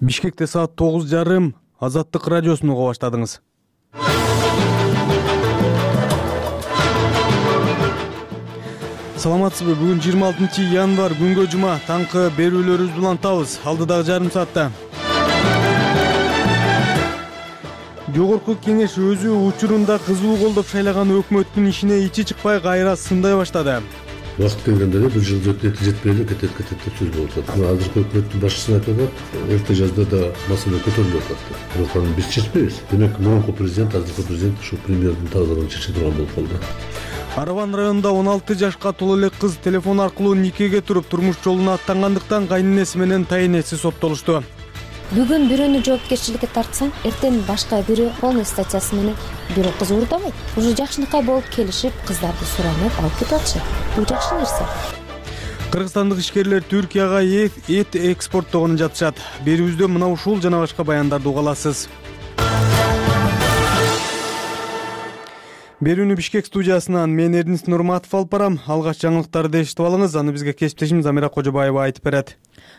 Бишкекте саат 9:30 Азаттык радиосун уга баштадыңыз. Саламатсызбы? Бүгүн 26 январь күнгө жума. Таңкы берүүлөрүбүздү улантабыз. Алдыдагы жарым саатта Жогорку кеңеш өзү учурунда кызуу колдоп шайлаган өкмөттүн ишине ичи чыкпай кайра сындай баштады. Убакыт келгенде бир жыл жетпей эле кетет деп сөз болуп атат. Азыркы өкмөттүн башчысына айтып атат, эрте жазда да маселе көтөрүлүп атат. Бирок аны биз чечпейбиз. Демек, мурунку президент, азыркы президент ушу премьердин тагдырын чече турган болуп калды. Араван районунда 16 жашка толо эле кыз телефон аркылуу никеге туруп турмуш жолуна аттангандыктан кайненеси менен тайенеси соттолушту. Бүгүн бирөөнү жоопкерчиликке тартсаң, эртең башка бирөө полный статьясы менен бирөө кыз уурдабайт. Уже жакшынакай болуп келишип, кыздарды суранып алып кетип атышат. Бул жакшы нерсе. Кыргызстандык ишкерлер Түркияга эт экспорттогонун жатышат. Берүүбүздө мына ушул жана башка баяндарды уга аласыз. Берүүнү Бишкек студиясынан мен Эрдинис Нурматов алып барам. Алгач жаңылыктарды эшитип алыңыз, аны бизге кесиптешим Замира Кожобаева айтып берет.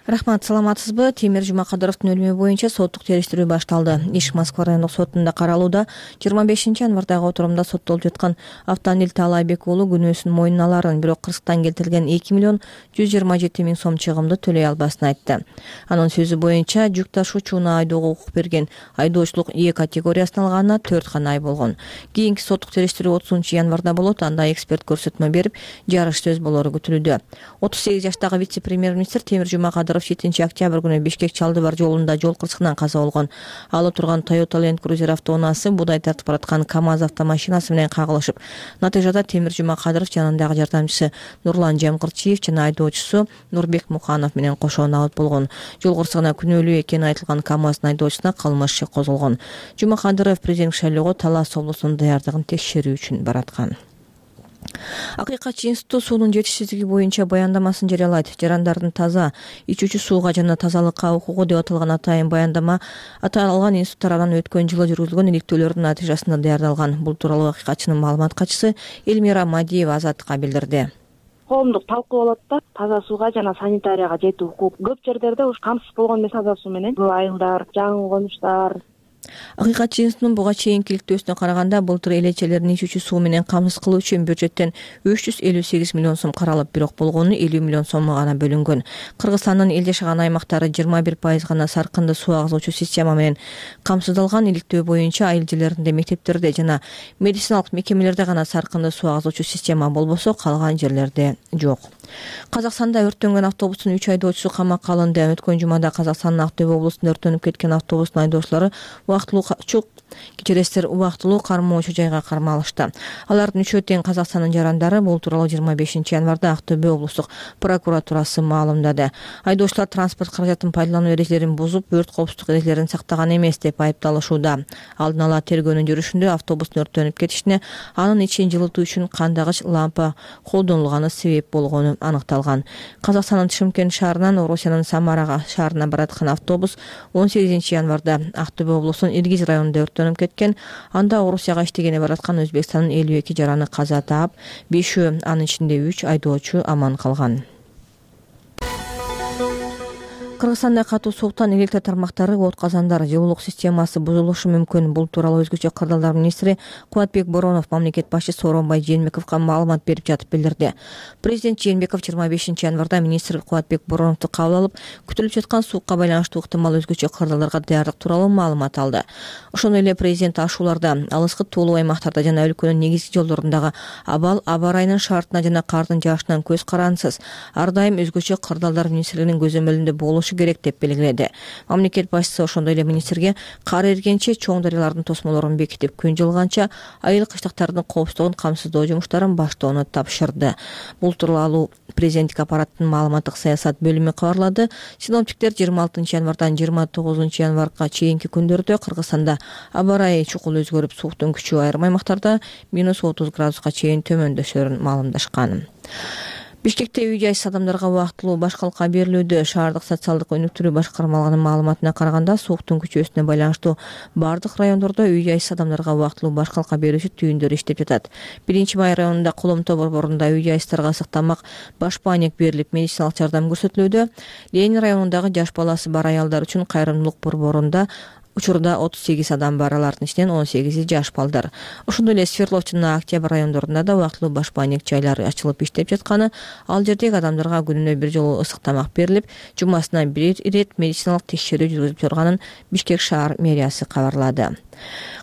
Рахмат, саламатсызбы? Темир Жумакадыровдун өлүмү боюнча соттук териштирүү башталды. Иш Москва райондук сотунда каралууда. 25 январдагы отурумда соттолуп жаткан Автандил Таалайбек уулу күнөөсүн мойнуна аларын, бирок Кыргызстан келтирилген 2 миллион 127 миң сом чыгымды төлөй албасын айтты. Анын сөзү боюнча жүк ташуучуна айдоого укук берген айдоочулук Е категориясына алганына 4 гана ай болгон. Кийинки соттук териштирүү 30 январда болот. Анда эксперт көрсөтмө берип, жарыш сөз болору күтүлүүдө. 38 жаштагы вице-премьер-министр Темир Жумакадыров 7 октябрь күнү Бишкек Чалдыбар жолунда жол кырсыгынан каза болгон. Ал отурган Toyota Land Cruiser автоунаасы буудай тартып бараткан КАМАЗ автомашинасы менен кагылышып, натыйжада Темир Жумакадыров жанындагы жардамчысы Нурлан Жамкырчиев жана айдоочусу Нурбек Муханов менен кошо набыт болгон. Жол кырсыгына күнөөлүү экени айтылган КАМАЗдын айдоочусуна кылмыш иши козголгон. Жумакадыров президент шайлоого Талас облусунун даярдыгын текшерүү үчүн бараткан. Акыйкатчы институту суунун жетишсиздиги боюнча баяндамасын жарыялайт. Жарандардын таза ичүүчү сууга жана тазалыкка укугу деп аталган атайын баяндама аталган институт тарабынан өткөн жылы жүргүзүлгөн иликтөөлөрдүн натыйжасында даярдалган. Бул тууралуу акыйкатчынын маалымат катчысы Элмира Мадиева Азаттыкка билдирди. Коомдук талкуу болот да, таза сууга жана санитарияга жетүү укук көп жерлерде ушу камсыз болгон эмес таза суу менен. Бул айылдар, жаңы конуштар. Акыйкатчы институтунун буга чейинки иликтөөсүнө караганда былтыр элечелерин ичүүчү суу менен камсыз кылуу үчүн бюджеттен 358 миллион сом каралып, бирок болгону 50 миллион сомго гана бөлүнгөн. Кыргызстандын эл жашаган аймактары 21% гана саркынды суу агызуучу система менен камсыздалган. Иликтөө боюнча айыл жерлеринде, мектептерде жана медициналык мекемелерде гана саркынды суу агызуучу система болбосо, калган жерлерде жок. Казакстанда өрттөнгөн автобустун 3 айдоочусу камакка алынды. Өткөн жумада Казакстандын Актөбө облусунда өрттөнүп кеткен автобустун айдоочулары убактылуу кармоочу жайга кармалышты. Алардын үчөө тең Казакстандын жарандары. Бул тууралуу 25 январда Актөбө облустук прокуратурасы маалымдады. Айдоочулар транспорт каражатын пайдалануу эрежелерин бузуп, өрт коопсуздук эрежелерин сактаган эмес деп айыпталышууда. Алдын ала тергөөнүн жүрүшүндө автобустун өрттөнүп кетишине анын ичин жылытуу үчүн кандагыч лампа колдонулганы себеп болгону аныкталган. Казакстандын Шымкент шаарынан Орусиянын Самара шаарына бараткан автобус 18 январда Актөбө облусунун Иргиз районунда өрттөнүп кеткен. Анда Орусияга иштегени бараткан Өзбекстандын 52 жараны каза таап, 5-өө, анын ичинде 3 айдоочу аман калган. Кыргызстанда катуу сууктан электр тармактары, от казандар, жылуулук системасы бузулушу мүмкүн. Бул тууралуу өзгөчө кырдаалдар министри Кубатбек Боронов мамлекет башчысы Сооронбай Жээнбековго маалымат берип жатып билдирди. Президент Жээнбеков 25 январда министр Кубатбек Бороновду кабыл алып, күтүлүп жаткан суукка байланыштуу ыктымал өзгөчө кырдаалдарга даярдык тууралуу маалымат алды. Ошондой эле президент ашууларда, алыскы туулуу аймактарда жана өлкөнүн негизги жолдорундагы абал, аба ырайынын шартына жана кардын жаашынан көз карансыз, ар дайым өзгөчө кырдаалдар министрлигинин көзөмөлүндө болушу керек деп белгиледи. Мамлекет башчысы ошондой эле министрге кар эригенче чоң дарыялардын тосмолорун бекитип, күн жылганча айыл кыштактардын коопсуздугун камсыздоо жумуштарын баштоону тапшырды. Бул тууралуу президенттик аппараттын маалыматтык саясат бөлүмү кабарлады. Синоптиктер 26 январдан 29 январга чейинки күндөрдө Кыргызстанда аба ырайы чукул өзгөрүп, сууктун күчү айрым аймактарда -30 градуска чейин төмөндөшөрүн маалымдашкан. Бишкекте үй жайсыз адамдарга убактылуу башкалка берилүүдө. Шаардык социалдык өнүктүрүү башкармалыгынын маалыматына караганда, сууктун күчөөсүнө байланыштуу бардык райондордо үй жайсыз адамдарга убактылуу башкалка берүүчү түйүндөр иштеп жатат. 1-Май районунда Коломто борборунда үй жайсыздарга ысык тамак, баш паник берилип, медициналык жардам көрсөтүлүүдө. Ленин районундагы жаш баласы бар аялдар үчүн кайрымдуулук борборунда учурда 38 адам бар, алардын ичинен 18 жаш балдар. Ошондой эле Свердловчу жана Октябрь райондорунда да убактылуу баш паник жайлары ачылып иштеп жатканы, ал жердеги адамдарга күнүнө бир жолу ысык тамак берилип, жумасына бир ирет медициналык текшерүү жүргүзүп жатканын Бишкек шаар мэриясы кабарлады.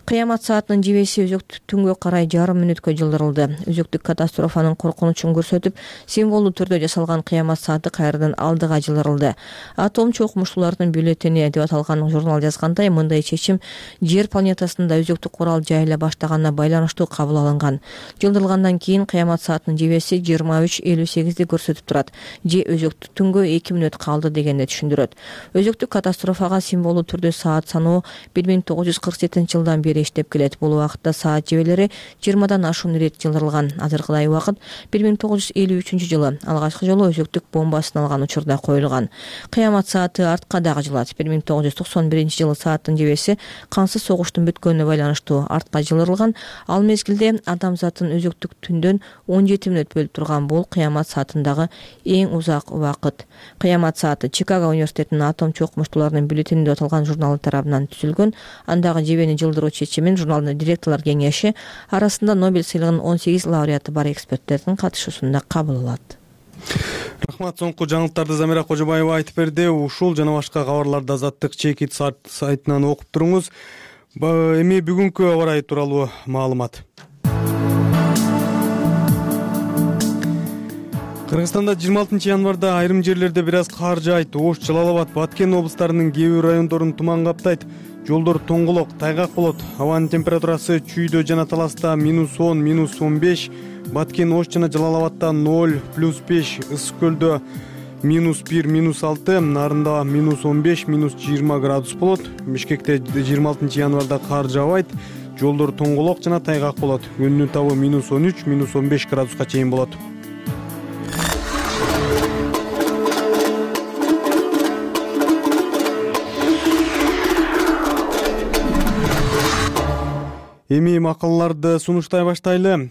Кыямат саатынын жебеси өзөктүк түнгө карай жарым мүнөткө жылдырылды. Өзөктүк катастрофанын коркунучун көрсөтүп, символдуу түрдө жасалган кыямат сааты кайрадан алдыга жылдырылды. Атом чокмуштуулардын бюллетени деп аталган журнал жазгандай, мындай чечим Жер планетасында өзөктүк курал жайыла баштаганына байланыштуу кабыл алынган. Жылдырылгандан кийин кыямат саатынын жебеси 23:58 көрсөтүп турат. Же өзөктүк түнгө 2 мүнөт калды дегенди түшүндүрөт. Өзөктүк катастрофага символдуу түрдө саат саноо 1947-жылдан бери иштеп келет. Бул убакытта саат жебелери 20дан ашуун ирет жылдырылган. Азыркыдай убакыт 1953-жылы алгачкы жолу өзөктүк бомбасын алган учурда коюлган. Кыямат сааты артка дагы жылат. 1991-жылы сааттын жебеси кансыз согуштун бүткөнүнө байланыштуу артка жылдырылган. Ал мезгилде адамзаттын өзөктүк түндөн 17 мүнөт бөлүп турган. Бул кыямат саатындагы эң узак убакыт. Кыямат сааты Чикаго университетинин атом чокмуштууларынын бюллетени деп аталган журналы тарабынан түзүлгөн. Андагы жебени жылдыруу чечимин журналдын директорлор кеңеши арасында Нобель сыйлыгынын 18 лауреаты бар эксперттердин катышуусунда кабыл алат. Рахмат, соңку жаңылыктарды Замира Кожобаева айтып берди. Ушул жана башка кабарларды Азаттык чекит сайтынан окуп туруңуз. Эми бүгүнкү аба ырайы тууралуу маалымат. Кыргызстанда 26 январда айрым жерлерде бир аз кар жаайт. Ош, Жалал абад, Баткен облустарынын кээ бир райондорун туман каптайт. Жолдор тоңголок, тайгак болот. Абанын температурасы Чүйдө жана Таласта -10, -15, Баткен, Ош жана Жалал абадта 0, +5, Ысык көлдө -1, -6, Нарында -15, -20 градус болот. Бишкекте 26 январда кар жаабайт. Жолдор тоңголок жана тайгак болот. Күндүн табы -13, -15 градуска чейин болот. Эми макалаларды сунуштай баштайлы.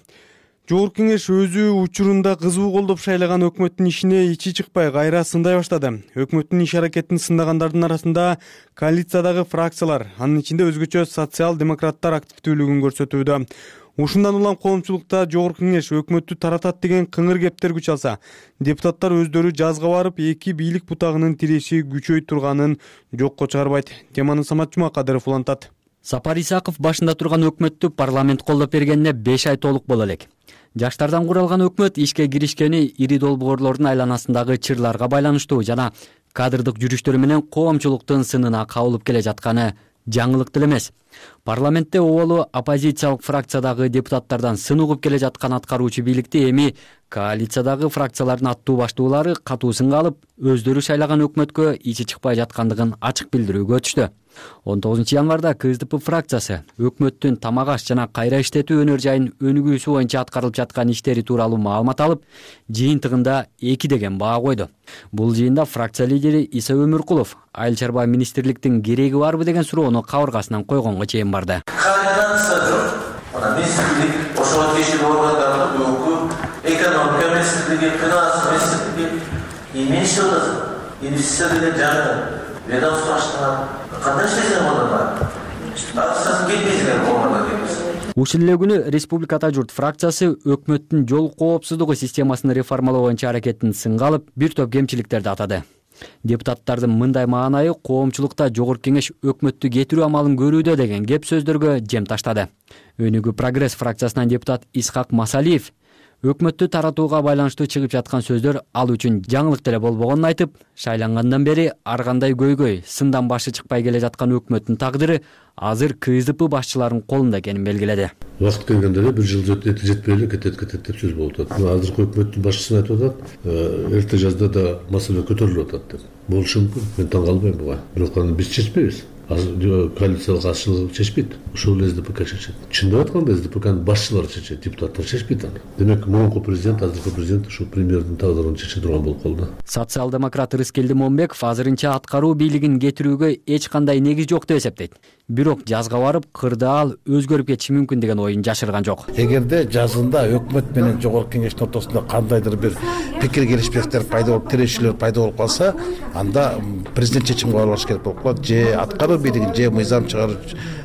Жогорку кеңеш өзү учурунда кызуу колдоп шайлаган өкмөттүн ишине ичи чыкпай кайра сындай баштады. Өкмөттүн иш аракетин сындагандардын арасында коалициядагы фракциялар, анын ичинде өзгөчө социал-демократтар активдүүлүгүн көрсөтүүдө. Ушундан улам коомчулукта жогорку кеңеш өкмөттү таратат деген кыңыр кептер күч алса, депутаттар өздөрү жазга барып эки бийлик бутагынын тиреши күчөй турганын жокко чыгарбайт. Теманы Самат Жумакадыров улантат. Сапар Исаков башында турган өкмөттү парламент колдоп бергенине 5 ай толук боло элек. Жаштардан куралган өкмөт ишке киришкени ири долбоорлордун айланасындагы чырларга байланыштуу жана кадрдык жүрүштөрү менен коомчулуктун сынына кабылып келе жатканы жаңылык деле эмес. Парламентте оболу оппозициялык фракциядагы депутаттардан сын угуп келе жаткан аткаруучу бийликти эми коалициядагы фракциялардын аттуу баштуулары катуу сынга алып, өздөрү шайлаган өкмөткө ичи чыкпай жаткандыгын ачык билдирүүгө өтүштү. 19 январда КСДП фракциясы өкмөттүн тамак аш жана кайра иштетүү өнөр жайын өнүгүүсү боюнча аткарылып жаткан иштери тууралуу маалымат алып, жыйынтыгында 2 деген баа койду. Бул жыйында фракция лидери Иса Өмүркулов айыл чарба министрликтин кереги барбы деген суроону кабыргасынан койгонго чейин барды. Министрлик ошого тиешелүү органдардын бүгүнкү экономика министрлиги, финанс министрлиги эмне иштеп атат? Инвестиция деген жаңы ведомство аштырган. Кандай иштесең олар? Акчасын кетпейсиңер оларга келбес. Ушул эле күнү Республиката журт фракциясы өкмөттүн жол коопсуздугу системасын реформалоо боюнча аракетин сынга алып, бир топ кемчиликтерди атады. Депутаттардын мындай маанайы коомчулукта жогорку кеңеш өкмөттү кетирүү амалын көрүүдө деген кеп сөздөргө жем таштады. Өнүгүү прогресс фракциясынан депутат Исхак Масалиев өкмөттү таратууга байланыштуу чыгып жаткан сөздөр ал үчүн жаңылык деле болбогонун айтып, шайлангандан бери ар кандай көйгөй, сындан башы чыкпай келе жаткан өкмөттүн тагдыры азыр КСДП башчыларынын колунда экенин белгиледи. Убакыт келгенде эле бир жыл жетпей эле кетет деп сөз болуп атат. Азыркы өкмөттүн башчысы айтып атат, эрте жазда да маселе көтөрүлүп атат деп. Болушу мүмкүн. Мен таң калбайм буга. Бирок аны биз чечпейбиз. коалициялык азчылык чечпейт, ошол эле СДПК чечет. Чындап айтканда СДПКнын башчылары чечет, депутаттар чечпейт аны. Демек мурунку президент, азыркы президент ушул премьердин тагдырын чече турган болуп калды. Социал-демократ Рыскелди Момбеков азырынча аткаруу бийлигин кетирүүгө эч кандай негиз жок деп эсептейт. Бирок жазга барып кырдаал өзгөрүп кетиши мүмкүн деген оюн жашырган жок. Эгерде жазында өкмөт менен жогорку кеңештин ортосунда кандайдыр бир пикир келишпестиктер пайда болуп, тирешүүлөр пайда болуп калса, анда президент чечим кабыл алыш керек болуп калат, же аткаруу бийлигин, же мыйзам чыгаруу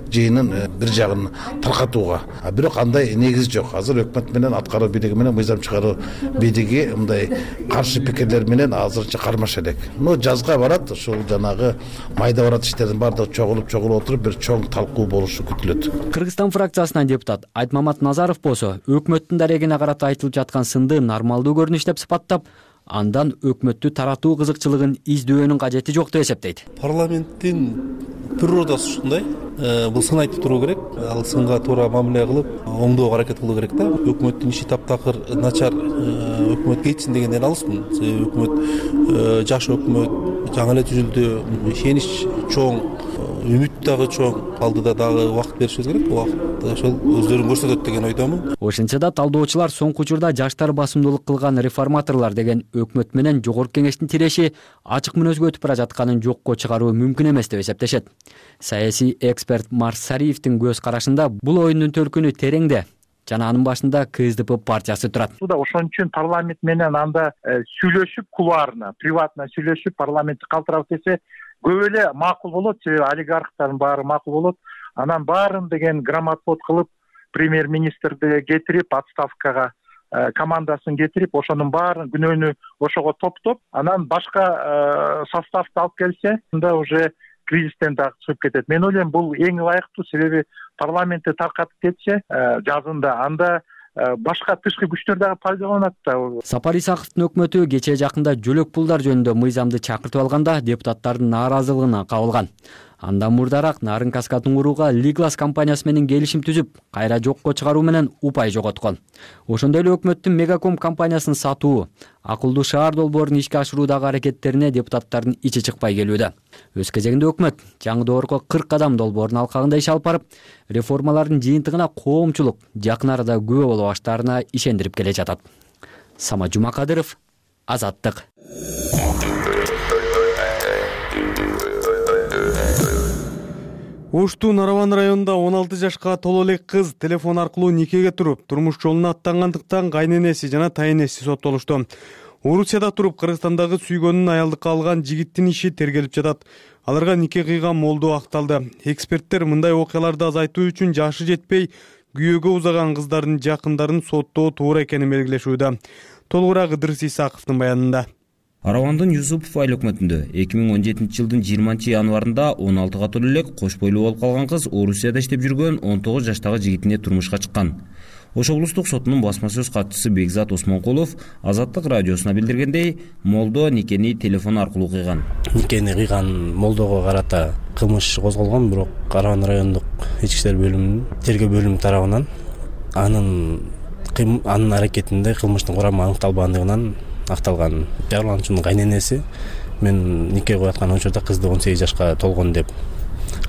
жыйынын бир жагын таркатууга. Бирок андай негиз жок. Азыр өкмөт менен аткаруу бийлиги менен мыйзам чыгаруу бийлиги мындай каршы пикирлер менен азырынча кармаша элек. Жазга барат, ушул жанагы майда барат иштердин баардыгы чогулуп отуруп бир чоң талкуу болушу күтүлөт. Кыргызстан фракциясынан депутат Айтмамат Назаров болсо, өкмөттүн дарегине карата айтылып жаткан сынды нормалдуу көрүнүш деп сыпаттап, андан өкмөттү таратуу кызыкчылыгын издөөнүн кажети жок деп эсептейт. Парламенттин природасы ушундай, бул сын айтып туруу керек, ал сынга туура мамиле кылып, оңдоого аракет кылуу керек да. Өкмөттүн иши таптакыр начар, өкмөт кетсин дегенден алысмын. Өкмөт жаш өкмөт, жаңы эле түзүлдү, ишенич чоң, үмүт дагы чоң, алдыда дагы убакыт беришибиз керек. Убакыт ошол өздөрүн көрсөтөт деген ойдомун. Ошентсе да талдоочулар соңку учурда жаштар басымдуулук кылган реформаторлор деген өкмөт менен жогорку кеңештин тиреши ачык мүнөзгө өтүп бара жатканын жокко чыгаруу мүмкүн эмес деп эсептешет. Саясий эксперт Марс Сариевдин көз карашында бул оюндун төркүнү тереңде жана анын башында КСДП партиясы турат. Ошон үчүн парламент менен анда сүйлөшүп, кулуарна, приватно сүйлөшүп, парламентти калтырабыз десе көп эле макул болот, себеби олигархтардын баары макул болот. Анан баарын деген грамотвод кылып, премьер-министрди кетирип, отставкага командасын кетирип, ошонун баарын күнөөнү ошого топтоп, анан башка составды алып келсе, анда уже кризистен дагы чыгып кетет. Мен ойлойм, бул эң ылайыктуу, себеби парламентти таркатып кетсе, жазында анда башка тышкы күчтөр дагы пайдаланат да. Сапар Исаковдун өкмөтү кечээ жакында жөлөк пулдар жөнүндө мыйзамды чакыртып алганда депутаттардын нааразылыгына кабылган. Андан мурдараак Нарын Каскатын курууга Лиглас компаниясы менен келишим түзүп, кайра жокко чыгаруу менен упай жоготкон. Ошондой эле өкмөттүн Мегаком компаниясын сатуу, акылдуу шаар долбоорун ишке ашыруудагы аракеттерине депутаттардын ичи чыкпай келүүдө. Өз кезегинде өкмөт жаңы доорго 40 кадам долбоорун алкагында иш алып барып, реформалардын жыйынтыгына коомчулук жакын арада күбө боло баштаарына ишендирип келе жатат. Самат Жумакадыров, Азаттык. Оштун Нараван районунда 16 жашка толо элек кыз телефон аркылуу никеге туруп, турмуш жолуна аттангандыктан кайненеси жана тайнеси соттолушту. Орусияда туруп Кыргызстандагы сүйгөнүн аялдыкка алган жигиттин иши тергелип жатат. Аларга нике кыйган молдо акталды. Эксперттер мындай окуяларды азайтуу үчүн жашы жетпей, күйөөгө узаган кыздардын жакындарын соттоо туура экенин белгилешүүдө. Толугураак Ыдырыс Исаковдун баянында. Аравандын Юсупов айыл өкмөтүндө 2017 жылдын 20 январында 16 толо элек кош бойлуу болуп калган кыз Орусияда иштеп жүргөн 19 жаштагы жигитине турмушка чыккан. Ош облустук сотунун басма сөз катчысы Бекзат Осмонкулов Азаттык радиосуна билдиргендей, молдо никени телефон аркылуу кыйган. Никени кыйган молдого карата кылмыш козголгон, бирок Араван райондук ички иштер бөлүмүнүн тергөө бөлүмү тарабынан анын аракетинде кылмыштын курамы аныкталбагандыгынан акталган. Жабырлануучунун кайненеси мен нике кылып аткан учурда кызды 18 жашка толгон деп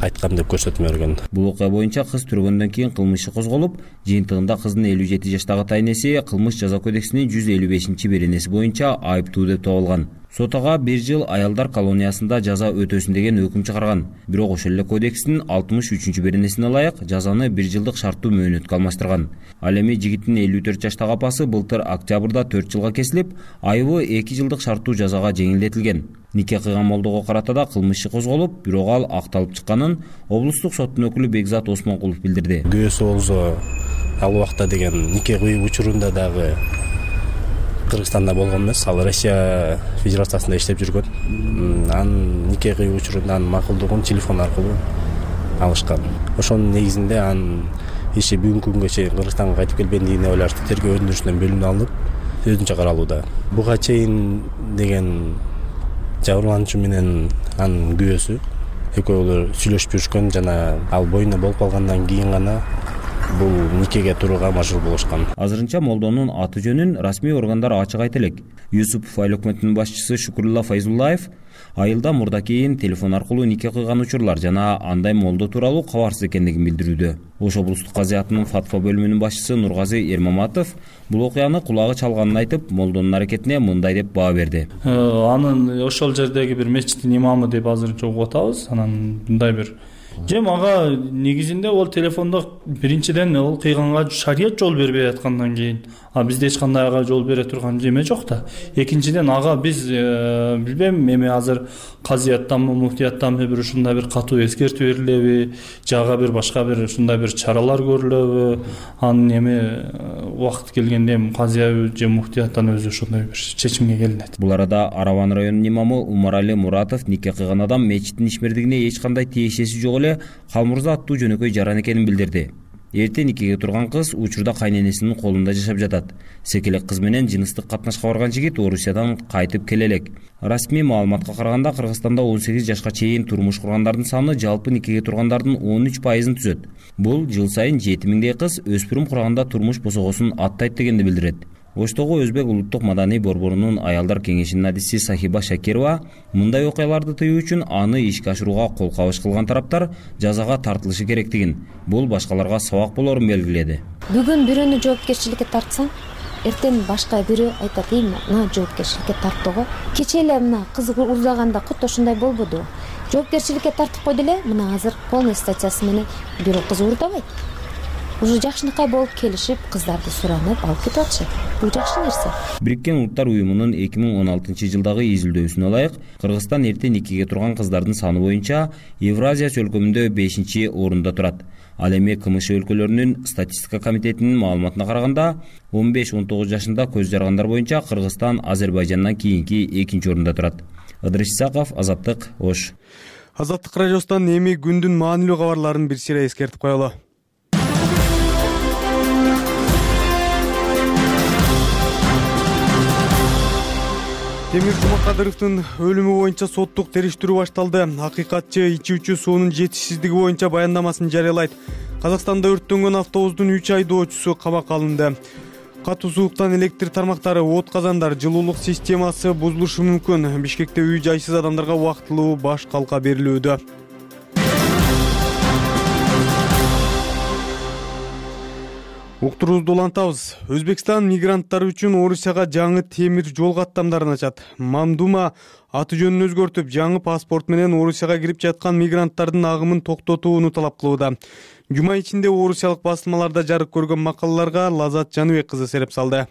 айткан деп көрсөтмө берген. Бул окуя боюнча кыз түргөндөн кийин кылмыш иши козголуп, жыйынтыгында кыздын 57 жаштагы тайнеси кылмыш жаза кодексинин 155-беренеси боюнча айыптуу деп табылган. Сот ага 1 жыл аялдар колониясында жаза өтөсүн деген өкүм чыгарган. Бирок ошол эле кодекстин 63-беренесине ылайык жазаны 1 жылдык шарттуу мөөнөткө алмаштырган. Ал эми жигиттин 54 жаштагы апасы былтыр октябрда 4 жылга кесилип, айыбы 2 жылдык шарттуу жазага жеңилдетилген. Нике кыйган молдого карата да кылмыш иши козголуп, бирок ал акталып чыкканын облустук соттун өкүлү Бекзат Осмонкулов билдирди. Күйөөсү болсо ал убакта деген нике кыйып учурунда дагы Кыргызстанда болгон эмес, ал Россия Федерациясында иштеп жүргөн. Анын нике кыйып учурунда анын макулдугун телефон аркылуу алышкан. Ошонун негизинде анын иши бүгүнкү күнгө чейин Кыргызстанга кайтып келбегендигине байланыштуу тергөө өндүрүшүнөн бөлүнүп алынып, өзүнчө каралууда. Буга чейин деген жабырлануучу менен анын күйөөсү экөөлөр сүйлөшүп жүрүшкөн жана ал боюна болуп калгандан кийин гана бул никеге турууга мажбур болушкан. Азырынча молдонун аты жөнүн расмий органдар ачык айта элек. Юсупов айыл өкмөтүнүн башчысы Шукурулла Файзуллаев айылда мурда кийин телефон аркылуу нике кыйган учурлар жана андай молдо тууралуу кабарсыз экендигин билдирүүдө. Ош облустук казыятынын фатва бөлүмүнүн башчысы Нургазы Эрмаматов бул окуяны кулагы чалганын айтып, молдонун аракетине мындай деп баа берди. Анын ошол жердеги бир мечиттин имамы деп азырынча угуп атабыз. Анан мындай бир ага негизинде ол телефондо биринчиден ол кыйганга шарият жол бербей аткандан кийин бизде эч кандай ага жол бере турган эме жок да. Экинчиден ага биз билбейм, эми азыр казыяттанбы, муфтияттанбы бир ушундай бир катуу эскертүү берилеби, жага бир башка бир ушундай бир чаралар көрүлөбү, анын эми убакыт келгенде эми казыя же муфтияттан өзү ошондой бир чечимге келинет. Бул арада Араван районунун имамы Умарали Муратов нике кыйган адам мечиттин ишмердигине эч кандай тиешеси жок эле Калмурза аттуу жөнөкөй жаран экенин билдирди. Эрте никеге турган кыз учурда кайненесинин колунда жашап жатат. Секелек кыз менен жыныстык катнашка барган жигит Орусиядан кайтып келе элек. Расмий маалыматка караганда Кыргызстанда 18 жашка чейин турмуш кургандардын саны жалпы никеге тургандардын 13%-ын түзөт. Бул жыл сайын 7000дей кыз өспүрүм курганда турмуш босогосун аттайт дегенди билдирет. Оштогу Өзбек улуттук маданий борборунун аялдар кеңешинин адиси Сахиба Шакирова мындай окуяларды тыюу үчүн аны ишке ашырууга кол кабыш кылган тараптар жазага тартылышы керектигин, бул башкаларга сабак болорун белгиледи. Бүгүн бирөөнү жоопкерчиликке тартсаң, эртең башка бирөө айтат, мына жоопкерчиликке тарттыгы. Кече эле мына кыз урдаганда кутта ушундай болбоду. Жоопкерчиликке тартып койду эле, мына азыр полный статьясы менен бирөө кыз урдабайт. Уже жакшынакай болуп келишип, кыздарды суранып алып кетип атышат. Бул жакшы нерсе. Бириккен Улуттар уюмунун 2016-жылдагы изилдөөсүнө ылайык, Кыргызстан эрте никеге турган кыздардын саны боюнча Евразия чөлкөмүндө 5-орунда турат. Ал эми КМШ өлкөлөрүнүн статистика комитетинин маалыматына караганда, 15-19 жашында көз жаргандар боюнча Кыргызстан Азербайжандан кийинки 2-орунда турат. Ыдырыс Исаков, Азаттык, Ош. Азаттык радиосунан эми күндүн маанилүү кабарларын бир сыйра эскертип коелу. Темир Жумакадыровдун өлүмү боюнча соттук териштирүү башталды. Акыйкатчы ичүүчү суунун жетишсиздиги боюнча баяндамасын жарыялайт. Казакстанда өрттөнгөн автобустун 3 айдоочусу камакка алынды. Катуу сууктан электр тармактары, от казандар, жылуулук системасы бузулушу мүмкүн. Бишкекте үй жайсыз адамдарга убактылуу баш калка берилүүдө. Уктуруубузду улантабыз. Өзбекстан мигранттар үчүн Орусияга жаңы темир жол каттамдарын ачат. Мамдума аты жөнүн өзгөртүп, жаңы паспорт менен Орусияга кирип жаткан мигранттардын агымын токтотууну талап кылууда. Жума ичинде орусиялык басылмаларда жарык көргөн макалаларга Лазат Жаныбек кызы сереп салды.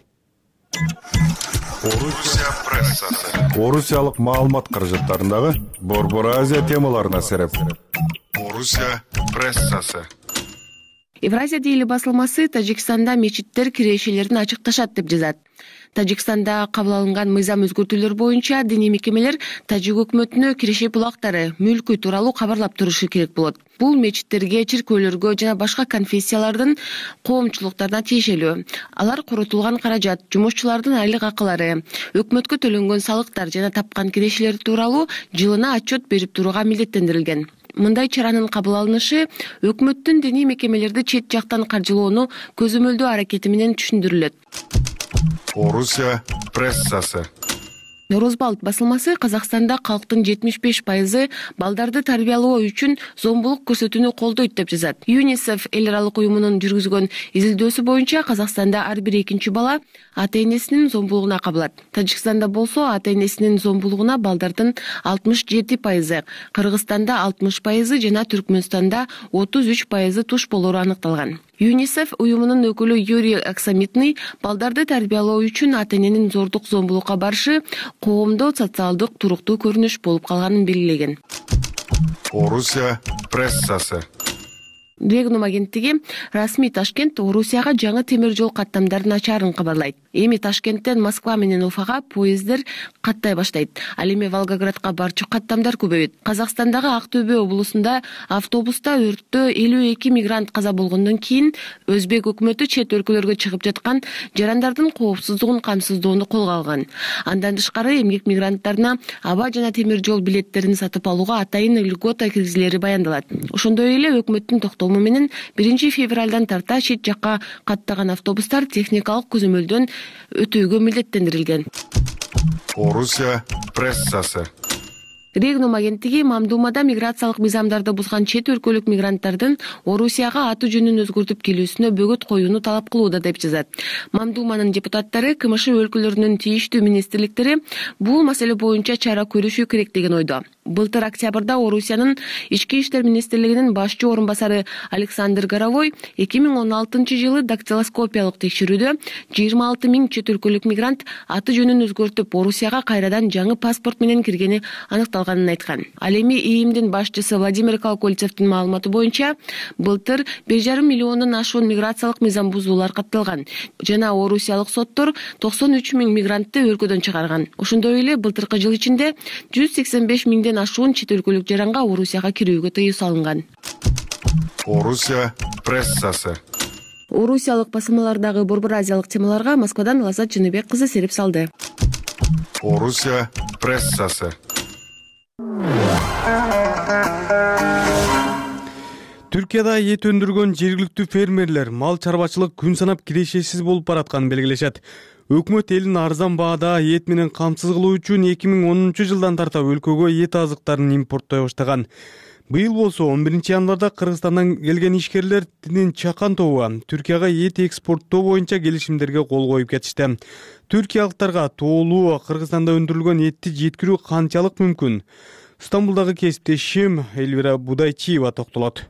Орусия прессасы. Орусиялык маалымат каражаттарындагы Борбор Азия темаларына сереп. Орусия прессасы. Евразия дейли басылмасы Тажикстанда мечиттер кирешелерин ачыкташат деп жазат. Тажикстанда кабыл алынган мыйзам өзгөртүүлөр боюнча диний мекемелер тажик өкмөтүнө киреше булактары, мүлкү тууралуу кабарлап турушу керек болот. Бул мечиттерге, чиркөөлөргө жана башка конфессиялардын коомчулуктарына тиешелүү. Алар коротулган каражат, жумушчулардын айлык акылары, өкмөткө төлөнгөн салыктар жана тапкан кирешелер тууралуу жылына отчет берип турууга милдеттендирилген. Мындай чаранын кабыл алынышы өкмөттүн диний мекемелерди чет жактан каржылоону көзөмөлдөө аракети менен түшүндүрүлөт. Орусия прессасы. Норозбалт басылмасы Казакстанда калктын 75% балдарды тарбиялоо үчүн зомбулук көрсөтүүнү колдойт деп жазат. ЮНИСЕФ эл аралык уюмунун жүргүзгөн изилдөөсү боюнча Казакстанда ар бир экинчи бала ата-энесинин зомбулугуна кабылат. Тажикстанда болсо ата-энесинин зомбулугуна балдардын 67%, Кыргызстанда 60% жана Түркмөнстанда 33% туш болору аныкталган. ЮНИСЕФ уюмунун өкүлү Юрий Аксамитный балдарды тарбиялоо үчүн ата-эненин зордук зомбулукка барышы коомдо социалдык туруктуу көрүнүш болуп калганын белгилеген. Орусия прессасы. Регнум агенттиги расмий Ташкент Орусияга жаңы темир жол каттамдарын ачаарын кабарлайт. Эми Ташкенттен Москва менен Уфага поезддер каттай баштайт. Ал эми Волгоградка барчу каттамдар көбөйөт. Казакстандагы Ак Төбө облусунда автобуста өрттө 52 мигрант каза болгондон кийин Өзбек өкмөтү чет өлкөлөргө чыгып жаткан жарандардын коопсуздугун камсыздоону колго алган. Андан тышкары эмгек мигранттарына аба жана темир жол билеттерин сатып алууга атайын льгота киргизилери баяндалат. Ошондой эле өкмөттүн токтому менен 1 февралдан тарта чет жакка каттаган автобустар техникалык көзөмөлдөн өтүүгө милдеттендирилген. Орусия прессасы. Регнум агенттиги Мамдумада миграциялык мыйзамдарды бузган чет өлкөлүк мигранттардын Орусияга аты жөнүн өзгөртүп келүүсүнө бөгөт коюуну талап кылууда деп жазат. Мамдуманын депутаттары КМШ өлкөлөрүнүн тийиштүү министрликтери бул маселе боюнча чара көрүшү керек деген ойдо. Былтыр октябрда Орусиянын ички иштер министрлигинин башчы орун басары Александр Горовой 2016-жылы дактилоскопиялык текшерүүдө 26 000 чет өлкөлүк мигрант аты жөнүн өзгөртүп Орусияга кайрадан жаңы паспорт менен киргени аныкталганын айткан. Ал эми ИИМдин башчысы Владимир Колокольцевдин маалыматы боюнча былтыр 1,5 миллиондон ашуун миграциялык мыйзам бузуулар катталган жана орусиялык соттор 93 000 мигрантты өлкөдөн чыгарган. Ошондой эле былтыркы жыл ичинде 185 000ден ашуун чет өлкөлүк жаранга Орусияга кирүүгө тыюу салынган. Орусия прессасы. Орусиялык басылмалардагы борбор азиялык темаларга Москвадан Лазат Жыныбек кызы серип салды. Орусия прессасы. Түркияда эт өндүргөн жергиликтүү фермерлер мал чарбачылык күн санап кирешесиз болуп баратканын белгилешет. Өкмөт элин арзан баада эт менен камсыз кылуу үчүн 2010-жылдан тарта өлкөгө эт азыктарын импорттой баштаган. Быйыл болсо 11-январда Кыргызстандан келген ишкерлердин чакан тобу Түркияга эт экспорттоо боюнча келишимдерге кол коюп кетишти. Түркиялыктарга тоолуу Кыргызстанда өндүрүлгөн этти жеткирүү канчалык мүмкүн? Стамбулдагы кесиптешим Элвира Будайчиева токтолот.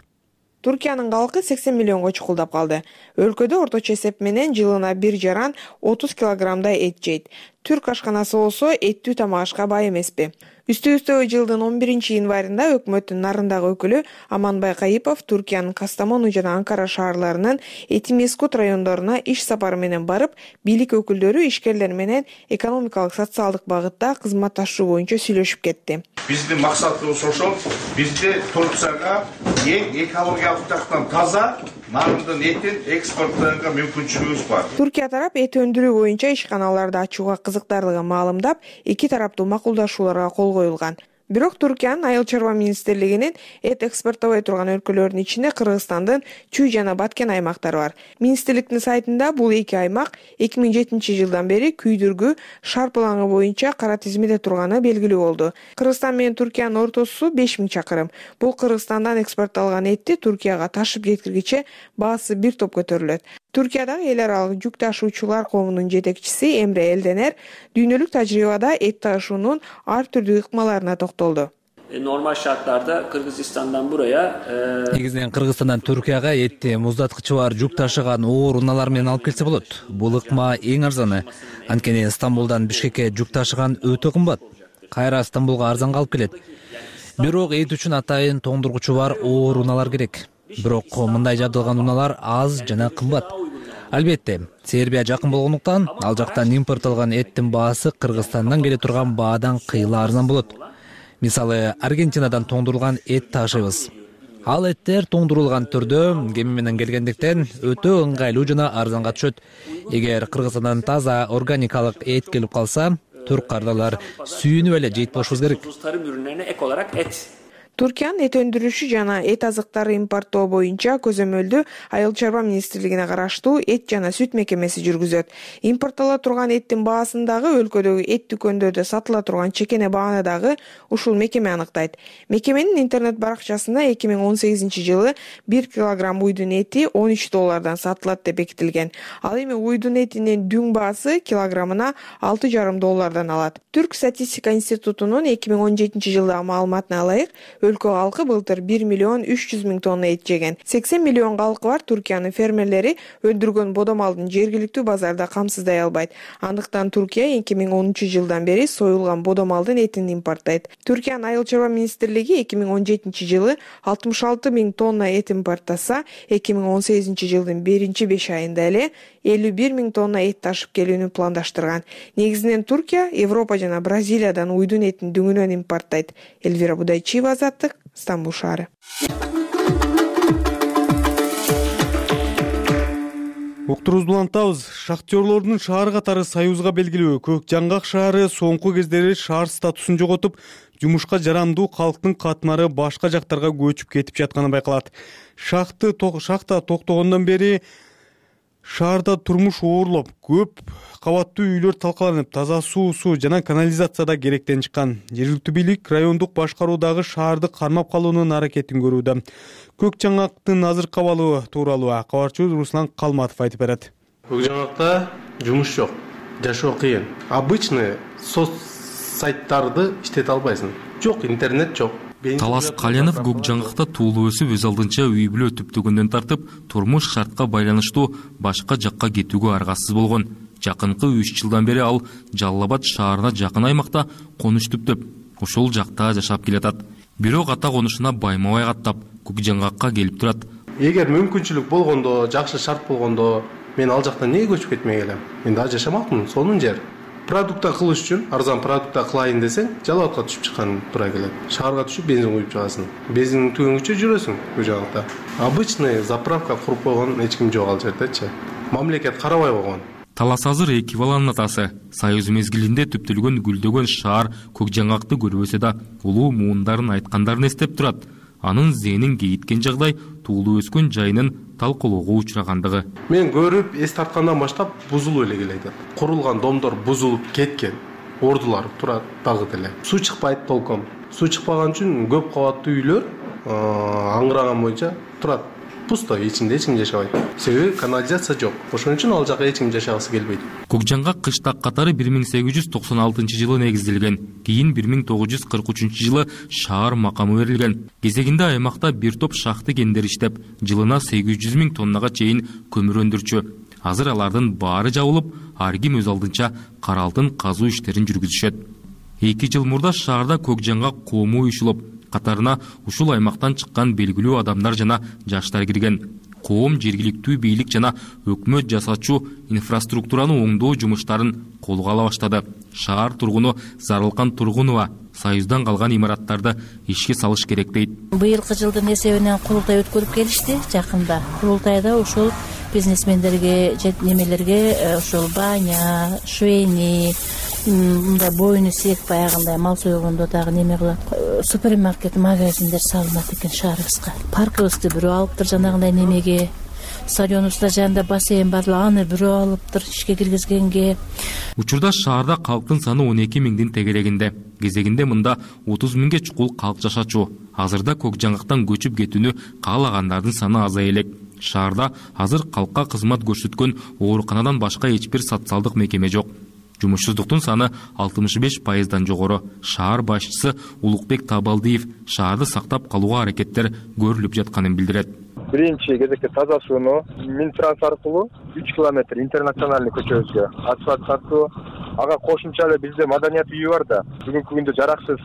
Туркиянын калкы 80 миллионго чукулдап калды. Өлкөдө орточо эсеп менен жылына бир жаран 30 килограммдай эт жейт. Түрк ашканасы болсо эттүү тамак ашка бай эмеспи. Үстүбүздө жылдын 11-январында өкмөттүн нарындагы өкүлү Аманбай Кайыпов Туркиянын Кастамону жана Анкара шаарларынын Этимескут райондоруна иш сапары менен барып, бийлик өкүлдөрү ишкерлер менен экономикалык социалдык багытта кызматташуу боюнча сүйлөшүп кетти. Биздин максатыбыз ошол. Бизде Турцияга эң экологиялык жактан таза нарындын этин экспорттоого мүмкүнчүлүгүбүз бар. Туркия тарап эт өндүрүү боюнча ишканаларды ачууга кызыктарлыгын маалымдап, эки тараптуу макулдашууларга кол коюлган. Бирок Туркиянын айыл чарба министрлигинин эт экспорттобой турган өлкөлөрдүн ичинде Кыргызстандын Чүй жана Баткен аймактары бар. Министрликтин сайтында бул эки аймак 2007-жылдан бери күйдүргү шарпылаңы боюнча кара тизмеде турганы белгилүү болду. Кыргызстан менен Туркиянын ортосу 5000 чакырым. Бул Кыргызстандан экспортталган этти Туркияга ташып жеткиргиче баасы бир топ көтөрүлөт. Туркиядагы эл аралык жүк ташуучулар коомунун жетекчиси Эмре Элденер дүйнөлүк тажрыйбада эт ташуунун ар түрдүү ыкмаларына токтолду. Normal şartlarda Kırgızistan'dan buraya негизинен Кыргызстандан Туркияга этти муздаткычы бар жүк ташыган оор унаалар менен алып келсе болот. Бул ыкма эң арзаны. Анткени Стамбулдан Бишкекке жүк ташыган өтө кымбат. Кайра Стамбулга арзанга алып келет. Бирок эт үчүн атайын тоңдургучу бар оор унаалар керек. Бирок мындай жабдылган унаалар аз жана кымбат. Албетте, Сербия жакын болгондуктан ал жактан импорттолгон эттин баасы Кыргызстандан келе турган баадан кыйла арзан болот. Мисалы, Аргентинадан тоңдурулган эт ташыйбыз. Ал эттер тоңдурулган түрдө кеми менен келгендиктен өтө ыңгайлуу жана арзанга түшөт. Эгер Кыргызстандан таза органикалык эт келип калса, түрк кардалар сүйүнүп эле жейт болушубуз керек. tarım ürünlerine ek olarak et. Туркиянын эт өндүрүшү жана эт азыктары импорттоо боюнча көзөмөлдү айыл чарба министрлигине караштуу эт жана сүт мекемеси жүргүзөт. Импорттола турган эттин баасын дагы өлкөдөгү эт дүкөндөрдө сатыла турган чекене бааны дагы ушул мекеме аныктайт. Мекеменин интернет баракчасында 2018-жылы 1 килограмм уйдун эти $13 сатылат деп бекитилген. Ал эми уйдун этинин дүң баасы килограммына $6,5 алат. Түрк статистика институтунун 2017-жылдагы маалыматына ылайык, өлкө калкы былтыр 1,3 миллион тонна эт жеген. 80 миллион калкы бар Туркиянын фермерлери өндүргөн бодомалдын жергиликтүү базарда камсыздай албайт. Андыктан Туркия 2010-жылдан бери союлган бодомалдын этин импорттойт. Туркиянын айыл чарба министрлиги 2017-жылы 66 000 тонна эт импорттаса, 2018-жылдын 1-5 айында эле 51 000 тонна эт ташып келүүнү пландаштырган. Негизинен Туркия, Европа жана Бразилиядан уйдун этин дүңүнөн импорттойт. Элвира Будайчиева, Стамбул шаары. Уктурубузду улантабыз. Шахтерлордун шаар катары Союзга белгилүү Көк Жаңгак шаары соңку кездери шаар статусун жоготуп, жумушка жарамдуу калктын катмары башка жактарга көчүп кетип жатканы байкалат. Шахта токтогондон бери Шаарда турмуш оорлоп, көп кабаттуу үйлөр талкаланып, таза суу жана канализация да керектен чыккан. Жергиликтүү бийлик райондук башкаруудагы шаарды кармап калуунун аракетин көрүүдө. Көк жаңгактын азыркы абалы тууралуу кабарчыбыз Руслан Калматов айтып берет. Көк жаңгакта жумуш жок, жашоо кыйын. Обычный соц сайттарды иштете албайсың. Жок, интернет жок. Талас Калянов көк жаңгакта туулуп өсүп, өз алдынча үй бүлө түптөгөндөн тартып, турмуш шартка байланыштуу башка жакка кетүүгө аргасыз болгон. Жакынкы 3 жылдан бери ал Жалал Абад шаарына жакын аймакта конуш түптөп, ошол жакта жашап келатат. Бирок ата конушуна байма-бай каттап, көк жаңгакка келип турат. Эгер мүмкүнчүлүк болгондо, жакшы шарт болгондо, мен ал жактан эмнеге көчүп кетмей келем? Мен да жашамакмын, сонун жер. Продукта кылыш үчүн, арзан продукта кылайын десең, Жалал Абадка түшүп чыккан туура келет. Шаарга түшүп бензин куюп чыгасың. Бензиндин түгөнгүчө жүрөсүң көк жаңгакта. Обычный заправка куруп койгон эч ким жок ал жердечи. Мамлекет карабай койгон. Талас азыр 2 баланын атасы. Союз мезгилинде түптөлгөн гүлдөгөн шаар көк жаңгакты көрбөсө да, улуу муундарын айткандарын эстеп турат. Анын зээнин кейиткен жагдай туулуп өскөн жайынын талкуулоого учурагандыгы. Мен көрүп, эс тарткандан баштап бузулуп эле келет. Курулган домдор бузулуп кеткен. Ордулар турат дагы деле. Суу чыкпайт толком. Суу чыкпаган үчүн көп кабаттуу үйлөр аңгыраган боюнча турат. Пусто, ичинде эч ким жашабайт. Себеби канализация жок. Ошон үчүн ал жака эч ким жашагысы келбейт. Көк жаңгак кыштак катары 1896-жылы негизделген. Кийин 1943-жылы шаар макамы берилген. Кезегинде аймакта бир топ шахты кендер иштеп, жылына 800 000 тоннага чейин көмүр өндүрчү. Азыр алардын баары жабылып, ар ким өз алдынча кара алтын казуу иштерин жүргүзүшөт. 2 жыл мурда шаарда көк жаңгак коому уюшулуп, катарына ушул аймактан чыккан белгилүү адамдар жана жаштар кирген. Коом жергиликтүү бийлик жана өкмөт жасачу инфраструктураны оңдоо жумуштарын колго ала баштады. Шаар тургуну Зарылкан Тургунова Союздан калган имараттарды ишке салыш керек дейт. Быйылкы жылдын эсебинен курултай өткөрүп келишти жакында. Курултайда ошол бизнесмендерге, немелерге ошол баня, швейни, мындай боюну сек баягындай мал сойгондо дагы неме кылат. Супермаркет, магазиндер салынат экен шаарыбызга. Паркыбызды бирөө алыптыр жанагындай немеге. Стадионубузда жанында бассейн бар, аны бирөө алыптыр ишке киргизгенге. Учурда шаарда калктын саны 12 000 тегерегинде. Кезегинде мында 30 000 чукул калк жашачу. Азырда көк жаңгактан көчүп кетүүнү каалагандардын саны азая элек. Шаарда азыр калкка кызмат көрсөткөн ооруканадан башка эч бир социалдык мекеме жок. Жумушсуздуктун саны 65%дан жогору. Шаар башчысы Улукбек Табалдиев шаарды сактап калууга аракеттер көрүлүп жатканын билдирет. Биринчи кезекте таза сууну Минтранс аркылуу 3 километр интернациональный көчөбүзгө асфальт тартуу. Ага кошумча эле бизде маданият үйү бар да. Бүгүнкү күндө жараксыз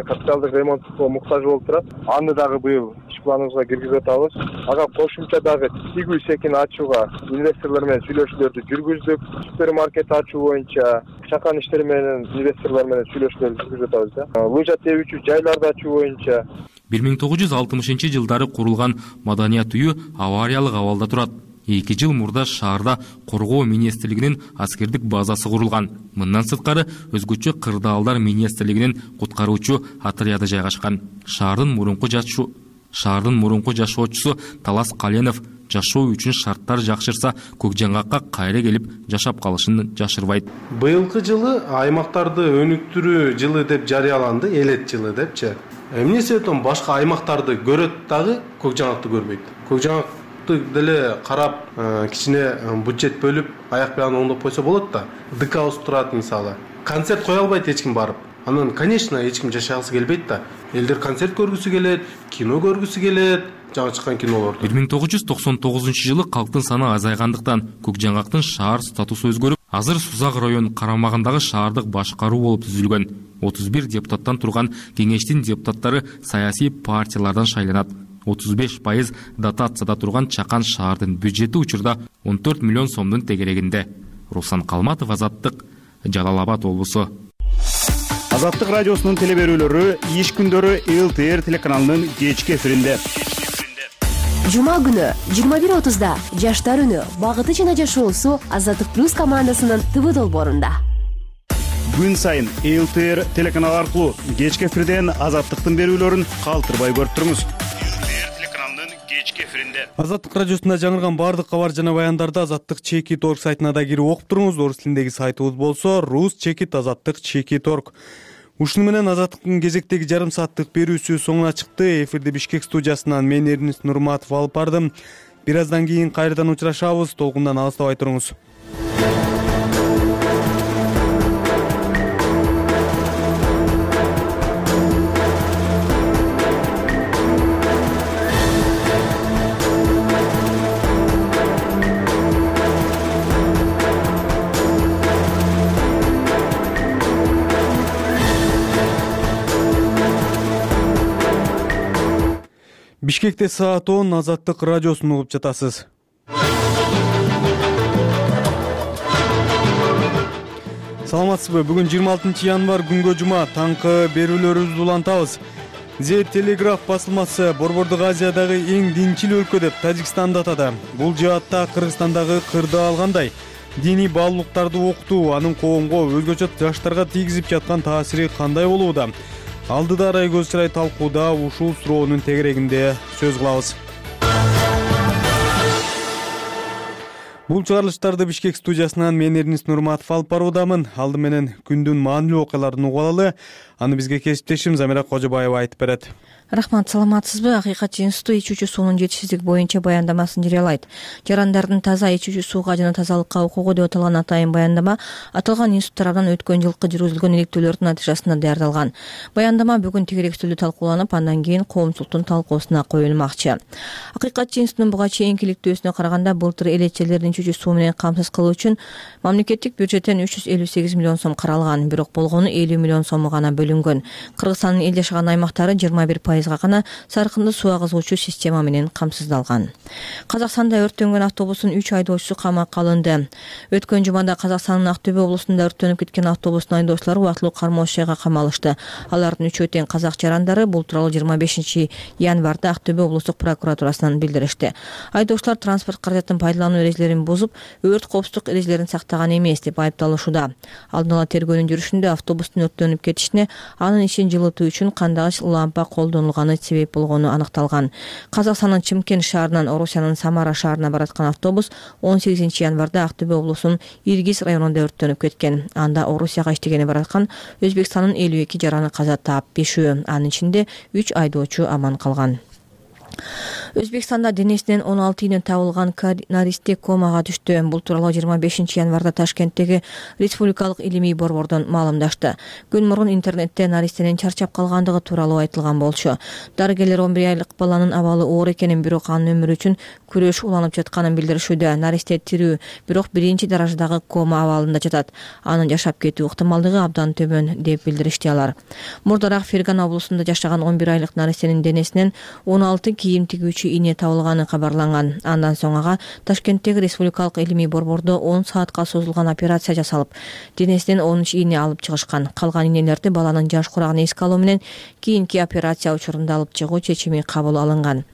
капиталдык ремонтко муктаж болуп турат. Аны дагы быйыл иш планыбызга киргизип атабыз. Ага кошумча дагы тигүү секин ачууга инвесторлор менен сүйлөшүүлөрдү жүргүздүк. Супермаркет ачуу боюнча чакан иштери менен инвесторлор менен сүйлөшүүлөрдү жүргүзүп атабыз да. Лыжа тебүүчү жайларды ачуу боюнча 1960-жылдары курулган маданият үйү авариялык абалда турат. 2 жыл мурда шаарда коргоо министрлигинин аскердик базасы курулган. Мындан сырткары өзгөчө кырдаалдар министрлигинин куткаруучу отряды жайгашкан. Шаардын мурунку жашоочусу Талас Калянов жашоо үчүн шарттар жакшырса, көк жаңгакка кайра келип жашап калышын жашырбайт. Быйылкы жылы аймактарды өнүктүрүү жылы деп жарыяланды, элет жылы депчи. Эмне себептен башка аймактарды көрөт дагы көк жаңгакты көрбөйт. Көк жаңгакты деле карап, кичине бюджет бөлүп, аяк бягын оңдоп койсо болот да. ДК турат мисалы. Концерт кое албайт эч ким барып. Анан, конечно, эч ким жашагысы келбейт да. Элдер концерт көргүсү келет, кино көргүсү келет, жаңы чыккан кинолорду. 1999-жылы калктын саны азайгандыктан көк жаңгактын шаар статусу өзгөрүп, азыр Сузак район карамагындагы шаардык башкаруу болуп түзүлгөн. 31 депутаттан турган кеңештин депутаттары саясий партиялардан шайланат. 35% дотацияда турган Чакан шаардын бюджети учурда 14 миллион сомдун тегерегинде. Руслан Калматов, Азаттык, Жалал Абад облусу. Азаттык радиосунун телеберүүлөрү иш күндөрү ЛТР телеканалынын кечки эфиринде. Жума күнү 21:30да Жаштар үнү, багыты жана жашоосу Азаттык плюс командасынын ТВ долбоорунда. Күн сайын ЛТР телеканалы аркылуу кечки эфирден Азаттыктын берүүлөрүн калтырбай көрүп туруңуз. ЛТР телеканалынын кечки эфиринде. Азаттык радиосунда жаңырган баардык кабар жана баяндарды azattik.org сайтына да кирип окуп туруңуз. Орус тилиндеги сайтыбыз болсо rus.azattik.org. Ушуну менен Азаттыктын кезектеги жарым сааттык берүүсү соңуна чыкты. Эфирди Бишкек студиясынан мен Эрнис Нурматов алып бардым. Бир аздан кийин кайрадан учурашабыз. Толкундан алыстабай туруңуз. Бишкекте саат 10, Азаттык радиосун угуп жатасыз. Саламатсызбы? Бүгүн 26 январь күнгө жума, таңкы берүүлөрүбүздү улантабыз. The Telegraph басылмасы Борбордук Азиядагы эң динчил өлкө деп Тажикстанды атады. Бул жаатта Кыргызстандагы кырды алгандай. Диний баалуулуктарды окутуу анын коомго, өзгөчө жаштарга тийгизип жаткан таасири кандай болууда? Алдыда арай көз чырай талкууда ушул суроонун тегерегинде сөз кылабыз. Бул чыгарылыштарды Бишкек студиясынан мен Эрнис Нурматов алып баруудамын. Алды менен күндүн маанилүү окуяларын угуп алалы. Аны бизге кесиптешим Замира Кожобаева айтып берет. Рахмат, саламатсызбы? Акыйкатчы институту ичүүчү суунун жетишсиздиги боюнча баяндамасын жарыялайт. Жарандардын таза ичүүчү сууга жана тазалыкка укугу деп аталган атайын баяндама аталган институт тарабынан өткөн жылкы жүргүзүлгөн иликтөөлөрдүн натыйжасында даярдалган. Баяндама бүгүн тегеректүүлүү талкууланып, андан кийин коомчулуктун талкуусуна коюлмакчы. Акыйкатчы институтунун буга чейинки иликтөөсүнө караганда былтыр элечелердин ичүүчү суу менен камсыз кылуу үчүн мамлекеттик бюджеттен 358 миллион сом каралган, бирок болгону 50 миллион сому гана бөлүнгөн. Кыргызстандын эл жашаган аймактары 21% гана саркынды суу агызуучу система менен камсыздалган. Казакстанда өрттөнгөн автобустун 3 айдоочусу камакка алынды. Өткөн жумада Казакстандын Актөбө облусунда өрттөнүп кеткен автобустун айдоочулары убактылуу кармоочу жайга камалышты. Алардын 3 тең казак жарандары бул тууралуу 25 январда Актөбө облустук прокуратурасынан билдиришти. Айдоочулар транспорт каражатын пайдалануу эрежелерин бузуп, өрт коопсуздук эрежелерин сактаган эмес деп айыпталышууда. Алдын ала тергөөнүн жүрүшүндө автобустун өрттөнүп кетишине анын ишин жылытуу үчүн кандагыч лампа колдонулганы себеп болгону аныкталган. Казакстандын Чымкент шаарынан Орусиянын Самара шаарына бараткан автобус 18 январда Актөбө облусунун Иргиз районунда өрттөнүп кеткен. Анда Орусияга иштегени бараткан Өзбекстандын 52 жараны каза таап, 5-өө анын ичинде 3 айдоочу аман калган. Өзбекстанда денесинен 16 ийне табылган наристе комага түштү. Бул тууралуу 25 январда Ташкенттеги Республикалык илимий борбордон маалымдашты. Күн мурун интернетте наристенин чарчап калгандыгы тууралуу айтылган болчу. Дарыгерлер 11 айлык баланын абалы оор экенин, бирок анын өмүрү үчүн күрөш уланып жатканын билдиришүүдө. Наристе тирүү, бирок биринчи даражадагы кома абалында жатат. Анын жашап кетүү ыктымалдыгы абдан төмөн деп билдиришти алар. Мурдараак Ферган облусунда жашаган 11 айлык наристенин денесинен 16 кийим тигүүчү ийне табылганы кабарланган. Андан соң ага Ташкенттеги Республикалык илимий борбордо 10 саатка созулган операция жасалып, денесинен 13 ийне алып чыгышкан. Калган ийнелерди баланын жаш курагын эске алуу менен кийинки операция учурунда алып чыгуу чечими кабыл алынган.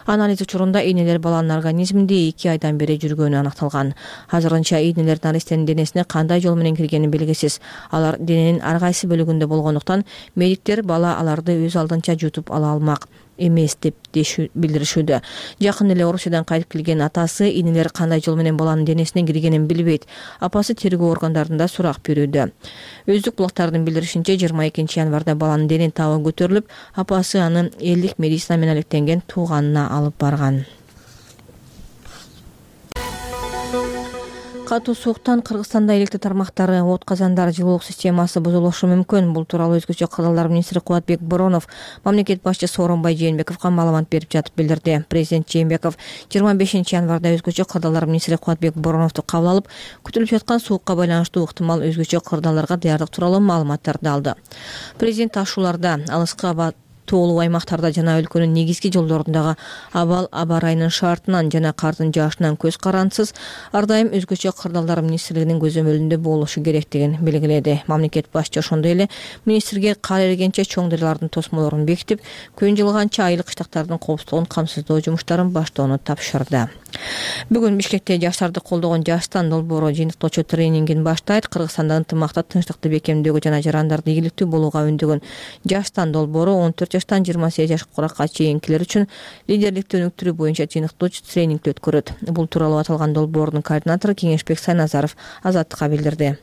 Анализ учурунда ийнелер баланын организминде 2 айдан бери жүргөнү аныкталган. Азырынча ийнелер наристенин денесине кандай жол менен киргени белгисиз. Алар дененин ар кайсы бөлүгүндө болгондуктан медиктер бала аларды өз алдынча жутуп ала алмак эмес деп билдиришүүдө. Жакын эле Орусиядан кайтып келген атасы ийнелер кандай жол менен баланын денесине киргенин билбейт. Апасы тергөө органдарында сурак берүүдө. Өздүк булактардын билдиришинче 22 январда баланын дене табы көтөрүлүп, апасы аны элдик медицина менен алектенген тууганына алып барган. Катуу сууктан Кыргызстанда электр тармактары, от казандары, жылуулук системасы бузулушу мүмкүн. Бул тууралуу өзгөчө кырдаалдар министри Кубатбек Боронов мамлекет башчысы Сооронбай Жээнбековго маалымат берип жатып билдирди. Президент Жээнбеков 25 январда өзгөчө кырдаалдар министри Кубатбек Бороновду кабыл алып, күтүлүп жаткан суукка байланыштуу ыктымал өзгөчө кырдаалдарга даярдык тууралуу маалыматтарды алды. Президент ашууларда алыскы тоолуу аймактарда жана өлкөнүн негизги жолдорундагы абал аба ырайынын шартынан жана кардын жаашынан көз карансыз ар дайым өзгөчө кырдаалдар министрлигинин көзөмөлүндө болушу керектигин белгиледи. Мамлекет башчы ошондой эле министрге кар эригенче чоң дарыялардын тосмолорун бекитип, күн жылыганча айыл кыштактардын коопсуздугун камсыздоо жумуштарын баштоону тапшырды. Бүгүн Бишкекте жаштарды колдогон Жаштан долбоору жыйынтыктоочу тренингин баштайт. Кыргызстанда ынтымакта, тынчтыкты бекемдөөгө жана жарандарды ийгиликтүү болууга үндөгөн Жаштан долбоору 14 жаштан 28 жашка куракка чейинкилер үчүн лидерликти өнүктүрүү боюнча жыйынтыктуу тренингди өткөрөт. Бул тууралуу аталган долбоордун координатору Кеңешбек Сайназаров Азаттыкка билдирди.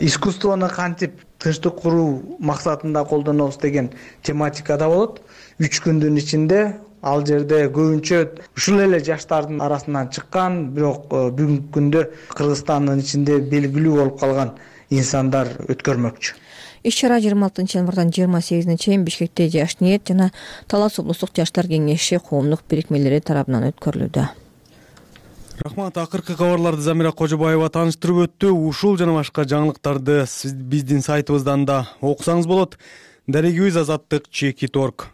Искусствону кантип тынчтык куруу максатында колдонобуз деген тематикада болот. 3 күндүн ичинде ал жерде көбүнчө ушул эле жаштардын арасынан чыккан, бирок бүгүнкү күндө Кыргызстандын ичинде белгилүү болуп калган инсандар өткөрмөкчү. Иш-чара 26 январдан 28 чейин Бишкекте Жаш ниет жана Талас облустук жаштар кеңеши коомдук бирикмелери тарабынан өткөрүлүүдө. Рахмат, акыркы кабарларды Замира Кожобаева тааныштырып өттү. Ушул жана башка жаңылыктарды биздин сайтыбыздан да окусаңыз болот. Дарегибиз azаттык.org.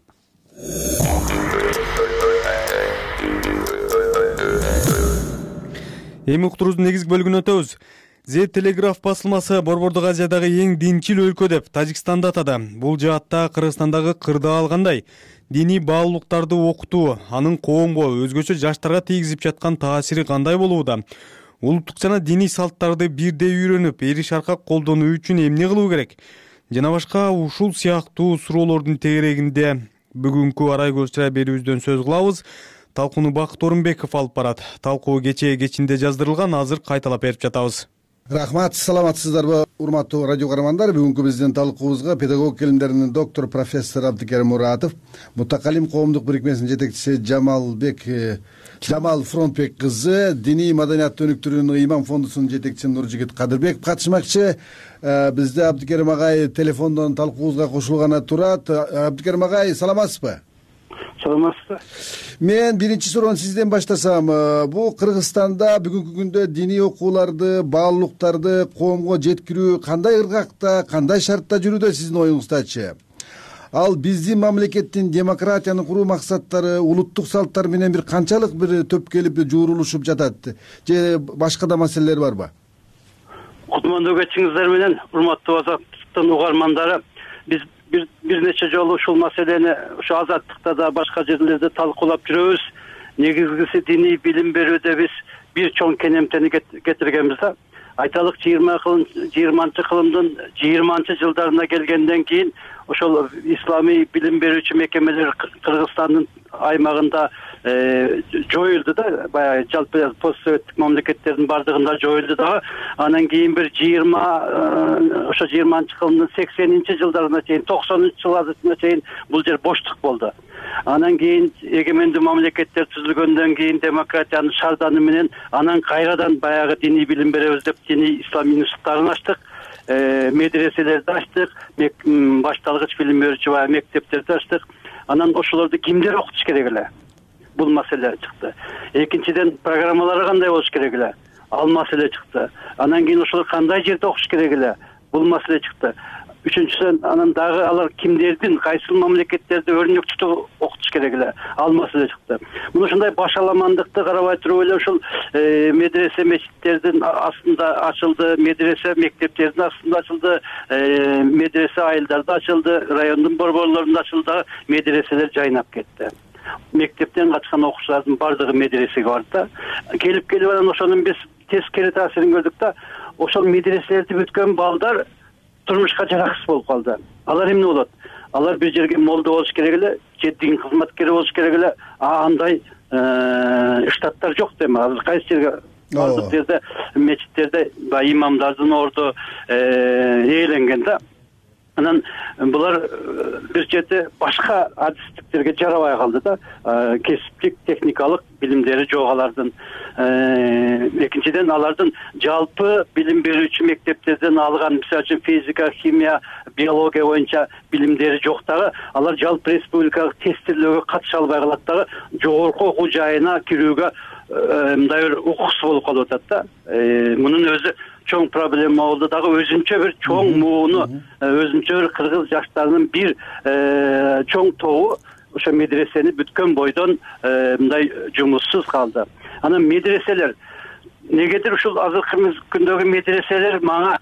Эми уктуруубуздун негизги бөлүгүнө өтөбүз. The Telegraph басылмасы Борбордук Азиядагы эң динчил өлкө деп Тажикстанды атады. Бул жаатта Кыргызстандагы кырдаал кандай? Диний баалуулуктарды окутуу, анын коомго, өзгөчө жаштарга тийгизип жаткан таасири кандай болууда? Улуттук жана диний салттарды бирдей үйрөнүп, эри шаркак колдонуу үчүн эмне кылуу керек? Жана башка ушул сыяктуу суроолордун тегерегинде бүгүнкү арай көз берүүбүздөн сөз кылабыз. Талкууну Бакыт Орунбеков алып барат. Талкуу кечинде жаздырылган, азыр кайталап берип жатабыз. Рахмат, саламатсыздарбы, урматтуу радио каармандар. Бүгүнкү биздин талкуубузга педагогика илимдеринин доктор профессор Абдикерим Муратов, Мутакалим коомдук бирикмесинин жетекчиси Жамал Фронтбек кызы, диний маданиятты өнүктүрүүнүн Ыйман фондусунун жетекчиси Нуржигит Кадырбеков катышмакчы. Бизде Абдикерим агай телефондон талкуубузга кошулганы турат. Абдикерим агай, саламатсызбы? Саламатсызбы. Мен биринчи суроону сизден баштасам, бул Кыргызстанда бүгүнкү күндө диний окууларды, баалуулуктарды коомго жеткирүү кандай ыргакта, кандай шартта жүрүүдө сиздин оюңуздачы? Ал биздин мамлекеттин демократияны куруу максаттары, улуттук салттар менен бир канчалык бир төпкелип жуурулушуп жатат? Же башка да маселелер барбы? Кутмандуу кечиңиздер менен, урматтуу Азаттыктын угармандары, биз бир нече жолу ушул маселени ушу Азаттыкта да башка жерлерде талкуулап жүрөбүз. Негизгиси диний билим берүүдө биз бир чоң кенемтени кетиргенбиз да. Айталык 20-чы кылымдын 20-чы жылдарына келгенден кийин ошол исламий билим берүүчү мекемелер Кыргызстандын аймагында жоюлду да. Баягы жалпы постсоветтик мамлекеттердин бардыгында жоюлду дагы. Анан кийин бир 20-чы кылымдын 80-чи жылдарына чейин, 90-чы жылдарына чейин бул жер боштук болду. Анан кийин эгемендүү мамлекеттер түзүлгөндөн кийин демократиянын шарданы менен анан кайрадан баягы диний билим беребиз деп диний ислам институттарын ачтык, медреселерди ачтык, башталгыч билим берүүчү баягы мектептерди ачтык. Анан ошолорду кимдер окутуш керек эле? Бул маселе чыкты. Экинчиден, программалары кандай болуш керек эле? Ал маселе чыкты. Анан кийин ошолор кандай жерде окуш керек эле? Бул маселе чыкты. Үчүнчүсү, анан дагы алар кимдердин, кайсы мамлекеттерде өрнөк тутуп окутуш керек эле? Ал маселе чыкты. Мына ушундай башаламандыкты карабай туруп эле ушул медресе мечиттердин астында ачылды, медресе мектептердин астында ачылды, медресе айылдарда ачылды, райондун борборлорунда ачылды, медреселер жайнап кетти. Мектептен качкан окуучулардын бардыгы медресеге барды да. Келип анан ошонун биз тескери таасирин көрдүк да. Ошол медреселерди бүткөн балдар турмушка жараксыз болуп калды. Алар эмне болот? Алар бир жерге молдо болуш керек эле, же дин кызматкери болуш керек эле. Андай штаттар жок дейм. Азыр кайсы жерге бардык жерде мечиттерде имамдардын орду ээленген да. Анан булар бир жерде башка адистиктерге жарабай калды да. Кесиптик, техникалык билимдери жок алардын. Экинчиден, алардын жалпы билим берүүчү мектептерден алган, мисалы үчүн физика, химия, биология боюнча билимдери жок дагы. Алар жалпы республикалык тестирлөөгө катыша албай калат дагы. Жогорку окуу жайына кирүүгө мындай бир укуксуз болуп калып атат да. Мунун өзү чоң проблема болду дагы, өзүнчө бир чоң мууну, өзүнчө бир кыргыз жаштарынын бир чоң тобу ошо медресени бүткөн бойдон мындай жумуссуз калды. Анан медреселер негедир ушул азыркы күндөгү медреселер мага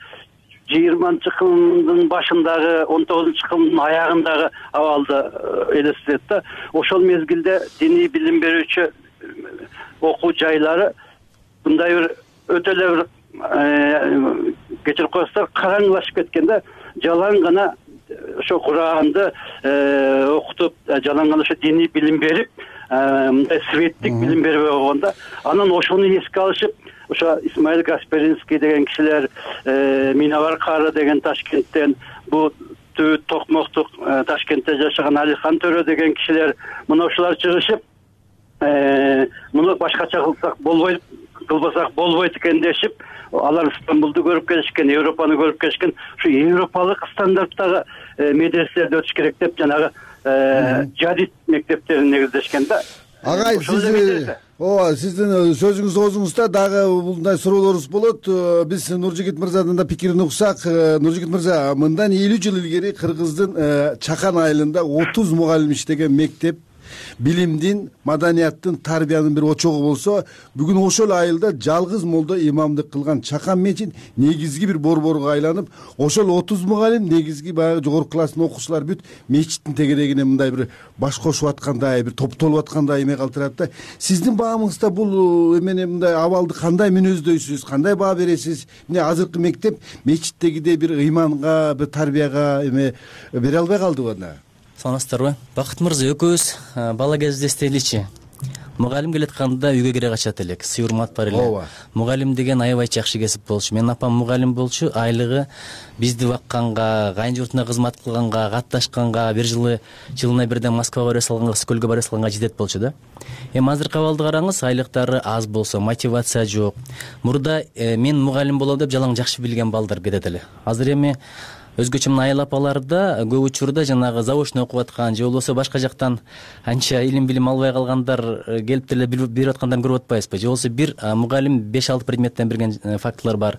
20-чы кылымдын башындагы, 19-чы кылымдын аягындагы абалды элестетет да. Ошол мезгилде диний билим берүүчү окуу жайлары мындай бир өтө эле бир кечирип коесуздар, караңгылашып кеткен да. Жалаң гана ошо Куранды окутуп жалаң ошо диний билим берип, мындай светтик билим бербей койгондо, анан ошону эске алышып, ошо Исмаил Касперинский деген кишилер, Миновар Кары деген Ташкенттен, бу Токмоктук Ташкентте жашаган Алихан Төрө деген кишилер, мына ушулар чыгышып, муну башкача кылбасак болбойт экен дешип, алар Стамбулду көрүп келишкен, Европаны көрүп келишкен, ушу европалык стандарттагы медреселерде өтүш керек деп жанагы жадид мектептерин негиздешкен да. Агай, сиздин сөзүңүз оозуңузда дагы мындай суроолорубуз болот. Биз Нуржигит мырзадан да пикирин уксак. Нуржигит мырза, мындан 50 жыл илгери Кыргыздын Чакан айылында 30 мугалим иштеген мектеп билимдин, маданияттын, тарбиянын бир очогу болсо, бүгүн ошол айылда жалгыз молдо имамдык кылган Чакан мечит негизги бир борборго айланып, ошол 30 мугалим негизги баягы жогорку класстын окуучулары бүт мечиттин тегерегине мындай бир баш кошуп аткандай, бир топтолуп аткандай эме калтырат да. Сиздин баамыңызда бул эмени мындай абалды кандай мүнөздөйсүз, кандай баа бересиз? Мына азыркы мектеп мечиттегидей бир ыйманга, бир тарбияга эме бере албай калдыбы анда? Саламатсыздарбы? Бакыт мырза, экөөбүз бала кезде эстейличи. Мугалим келатканда үйгө кире качат элек, сый урмат бар эле. Мугалим деген аябай жакшы кесип болчу. Менин апам мугалим болчу, айлыгы бизди бакканга, кайын журтуна кызмат кылганга, катташканга, бир жылына бирден Москвага баре салганга, Скөлгө баре салганга жетет болчу да. Эми азыркы абалды караңыз, айлыктары аз болсо, мотивация жок. Мурда мен мугалим болом деп жалаң жакшы билген балдар кетет эле. Азыр эми өзгөчө мына айыл апаларда көп учурда жанагы заочный окуп аткан же болбосо башка жактан анча илим билим албай калгандар келип деле берип аткандарын көрүп атпайбызбы? Же болбосо бир мугалим 5-6 предметтен берген фактылар бар.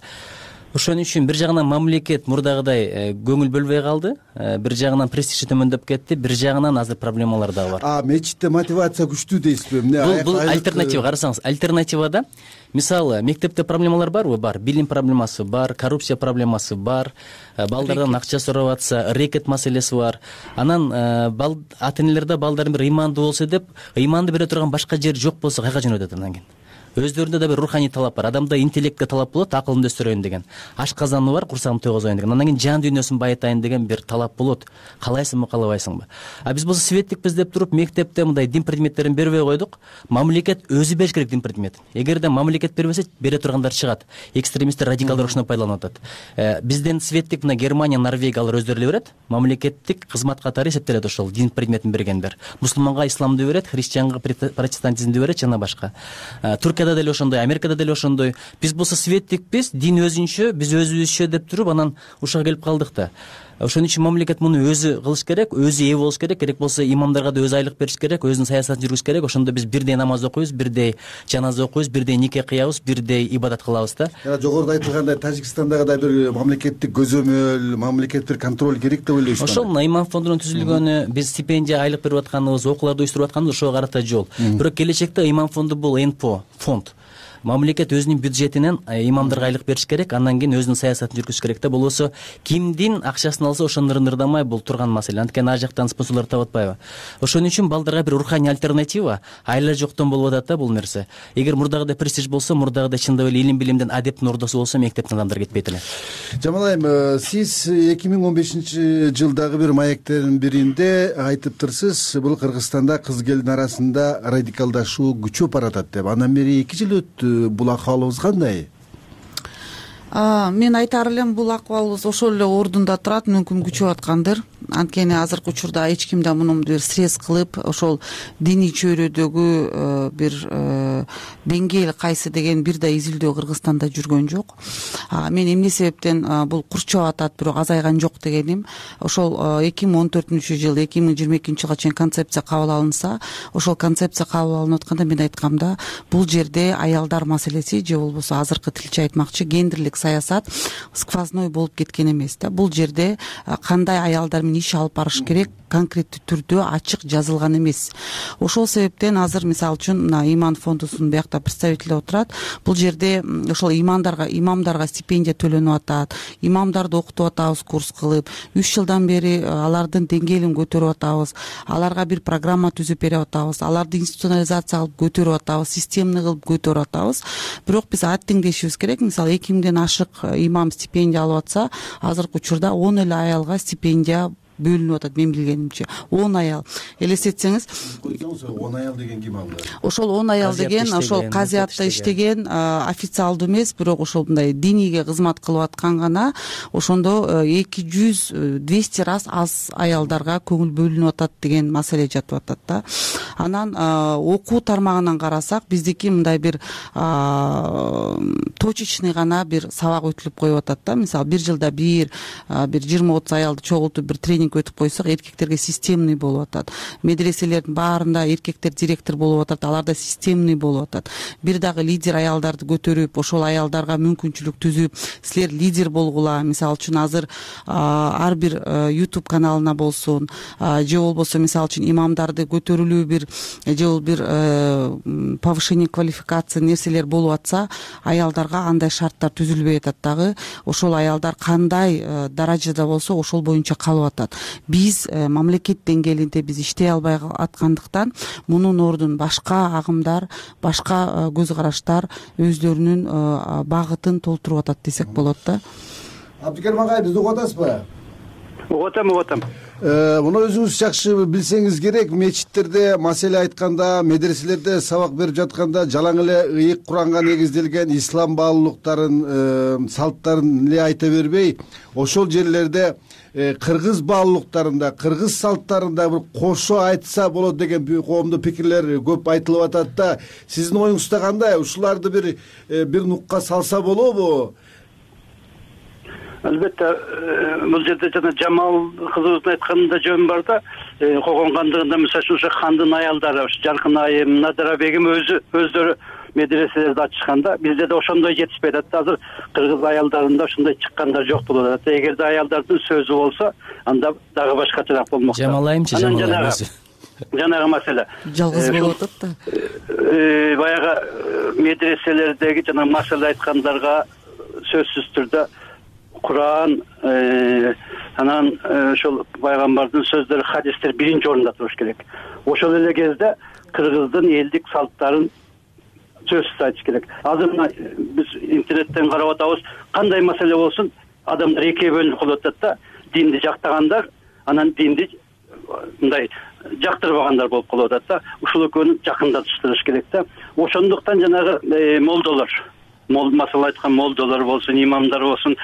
Ошон үчүн бир жагынан мамлекет мурдагыдай көңүл бөлбөй калды, бир жагынан престижи төмөндөп кетти, бир жагынан азыр проблемалар дагы бар. Мечитте мотивация күчтүү дейсизби? Бул альтернатива. Карасаңыз, альтернативада мисалы мектепте проблемалар барбы? Бар. Билим проблемасы бар, коррупция проблемасы бар, балдардан акча сурап атса, рекет маселеси бар. Анан ата-энелерде балдарын бир ыймандуу болсо деп, ыйманды бере турган башка жер жок болсо кайга жөнөтөт анан кийин? Өздөрүндө да бир руханий талап бар. Адамда интеллектке талап болот, акылымды өстүрөйүн деген. Ашказаны бар, курсагымды тойгозоюн деген. Андан кийин жан дүйнөсүн байытайын деген бир талап болот. Каалайсыңбы, каалабайсыңбы? Биз болсо светтикпиз деп туруп мектепте мындай дин предметтерин бербей койдук. Мамлекет өзү бериш керек дин предметин. Эгерде мамлекет бербесе, бере тургандар чыгат. Экстремисттер, радикалдар ошону пайдаланып атат. Бизден светтик мына Германия, Норвегия алар өздөрү эле берет. Мамлекеттик кызмат катары эсептелет ошол дин предметин бергендер. Мусулманга исламды берет, христианга протестантизмди берет жана башка. Туркияда деле ошондой, Америкада деле ошондой. Биз болсо светтикпиз, дин өзүнчө, биз өзүбүзчө деп туруп анан ушуга келип калдык да. Ошон үчүн мамлекет муну өзү кылыш керек, өзү ээ болуш керек. Керек болсо имамдарга да өзү айлык бериш керек, өзүнүн саясатын жүргүзүш керек. Ошондо биз бирдей намаз окуйбуз, бирдей жаназа окуйбуз, бирдей нике кыябыз, бирдей ибадат кылабыз да. Жогоруда айтылгандай Тажикстандагы да бир мамлекеттик көзөмөл, мамлекеттик бир контроль керек деп ойлойсузбу? Ошол мына имам фондунун түзүлгөнү, биз стипендия айлык берип атканыбыз, окууларды уюштуруп атканыбыз ошого карата жол. Бирок келечекте имам фонду бул НПО фонд. Мамлекет өзүнүн бюджетинен имамдарга айлык бериш керек, андан кийин өзүнүн саясатын жүргүзүш керек да. Болбосо кимдин акчасын алса ошону ырдамай бул турган маселе. Анткени ар жактан спонсорлор таап атпайбы? Ошон үчүн балдарга бир руханий альтернатива айла жоктон болуп атат да бул нерсе. Эгер мурдагыдай престиж болсо, мурдагыдай чындап эле илим билимден адептин ордосу болсо, мектептен адамдар кетпейт эле. Жамал, сиз 2015-жылдагы бир маектердин биринде айтыптырсыз, бул Кыргызстанда кыз келин арасында радикалдашуу күчөп баратат деп. Андан бери 2 жыл өттү. Бул акыбалыбыз кандай? Мен айтар элем, бул акыбалыбыз ошол эле ордунда турат, мүмкүн күчөп аткандыр. Анткени азыркы учурда эч ким да муну бир срез кылып, ошол диний чөйрөдөгү бир деңгээл кайсы деген бир да изилдөө Кыргызстанда жүргөн жок. Мен эмне себептен бул курчап атат, бирок азайган жок дегеним, ошол 2014-жыл 2022-жылга чейин концепция кабыл алынса, ошол концепция кабыл алынып атканда мен айткам да, бул жерде аялдар маселеси же болбосо азыркы тилче айтмакчы гендерлик саясат сквозной болуп кеткен эмес да. Бул жерде кандай аялдар менен иш алып барыш керек, конкреттүү түрдө ачык жазылган эмес. Ошол себептен азыр мисалы үчүн мына иман фондусунун биякта представители отурат. Бул жерде ошол имамдарга стипендия төлөнүп атат, имамдарды окутуп атабыз курс кылып, 3 жылдан бери алардын деңгээлин көтөрүп атабыз, аларга бир программа түзүп берип атабыз, аларды институционализация кылып көтөрүп атабыз, системный кылып көтөрүп атабыз. Бирок биз аттеңдешибиз керек. Мисалы 2000ден ашык имам стипендия алып атса, азыркы учурда 10 эле аялга стипендия бөлүнүп атат, мен билгенимче 10 аял. Элестетсеңиз, 10 аял деген ким алды? Ошол 10 аял деген ошол казиатта иштеген, официалдуу эмес, бирок ошол мындай динийге кызмат кылып аткан гана, ошондо 200-200 раз аз аялдарга көңүл бөлүнүп атат деген маселе жатып атат да. Анан окуу тармагынан карасак, биздики мындай бир точечный гана бир сабак өтүлүп коюп атат да. Мисалы бир жылда бир 20-30 аялды чогултуп бир тренинг өтүп койсок, эркектерге системный болуп атат. Медреселердин баарында эркектер директор болуп атат, аларда системный болуп атат. Бир дагы лидер аялдарды көтөрүп, ошол аялдарга мүмкүнчүлүк түзүп, силер лидер болгула. Мисалы үчүн азыр ар бир YouTube каналына болсун, же болбосо мисалы үчүн имамдарды көтөрүлүү бир повышение квалификация нерселер болуп атса, аялдарга андай шарттар түзүлбөй атат дагы. Ошол аялдар кандай даражада болсо, ошол боюнча калып атат. Биз мамлекет деңгээлинде биз иштей албай аткандыктан, мунун ордун башка агымдар, башка көз караштар өздөрүнүн багытын толтуруп атат десек болот да. Абдикерим агай, бизди угуп атасызбы? Угуп атам. Муну өзүңүз жакшы билсеңиз керек, мечиттерде маселе айтканда, медреселерде сабак берип жатканда жалаң эле ыйык Куранга негизделген ислам баалуулуктарын, салттарын эле айта бербей, ошол жерлерде кыргыз баалуулуктарында, кыргыз салттарында бир кошо айтса болот деген коомдук пикирлер көп айтылып атат да. Сиздин оюңузда кандай? Ушуларды бир нукка салса болобу? Албетте, бул жерде жана Жамал кызыбыздын айтканында жөн бар да, Когон хандыгында мисалы ошо хандын аялдары, Жаркын айым, Надира бегим өздөрү медреселерди ачышканда, бизде да ошондой жетишпей атат. Азыр кыргыз аялдарында ошондой чыккандар жок болуп атат. Эгерде аялдардын сөзү болсо, анда дагы башкачараак болмок. Жамал айымчы, жанагы маселе. Жалгыз болуп атат да. Баягы медреселердеги жана маселе айткандарга сөзсүз түрдө Куран, анан ошол пайгамбардын сөздөрү, хадистер биринчи орунда туруш керек. Ошол эле кезде кыргыздын элдик салттарын сөзсүз айтыш керек. Азыр биз интернеттен карап атабыз, кандай маселе болсун, адамдар экиге бөлүнүп калып атат да, динди жактагандар, анан динди мындай жактырбагандар болуп калып атат да. Ушул экөөнү жакындатыштырыш керек да. Ошондуктан жанагы молдолор, маселе айткан молдолор болсун, имамдар болсун,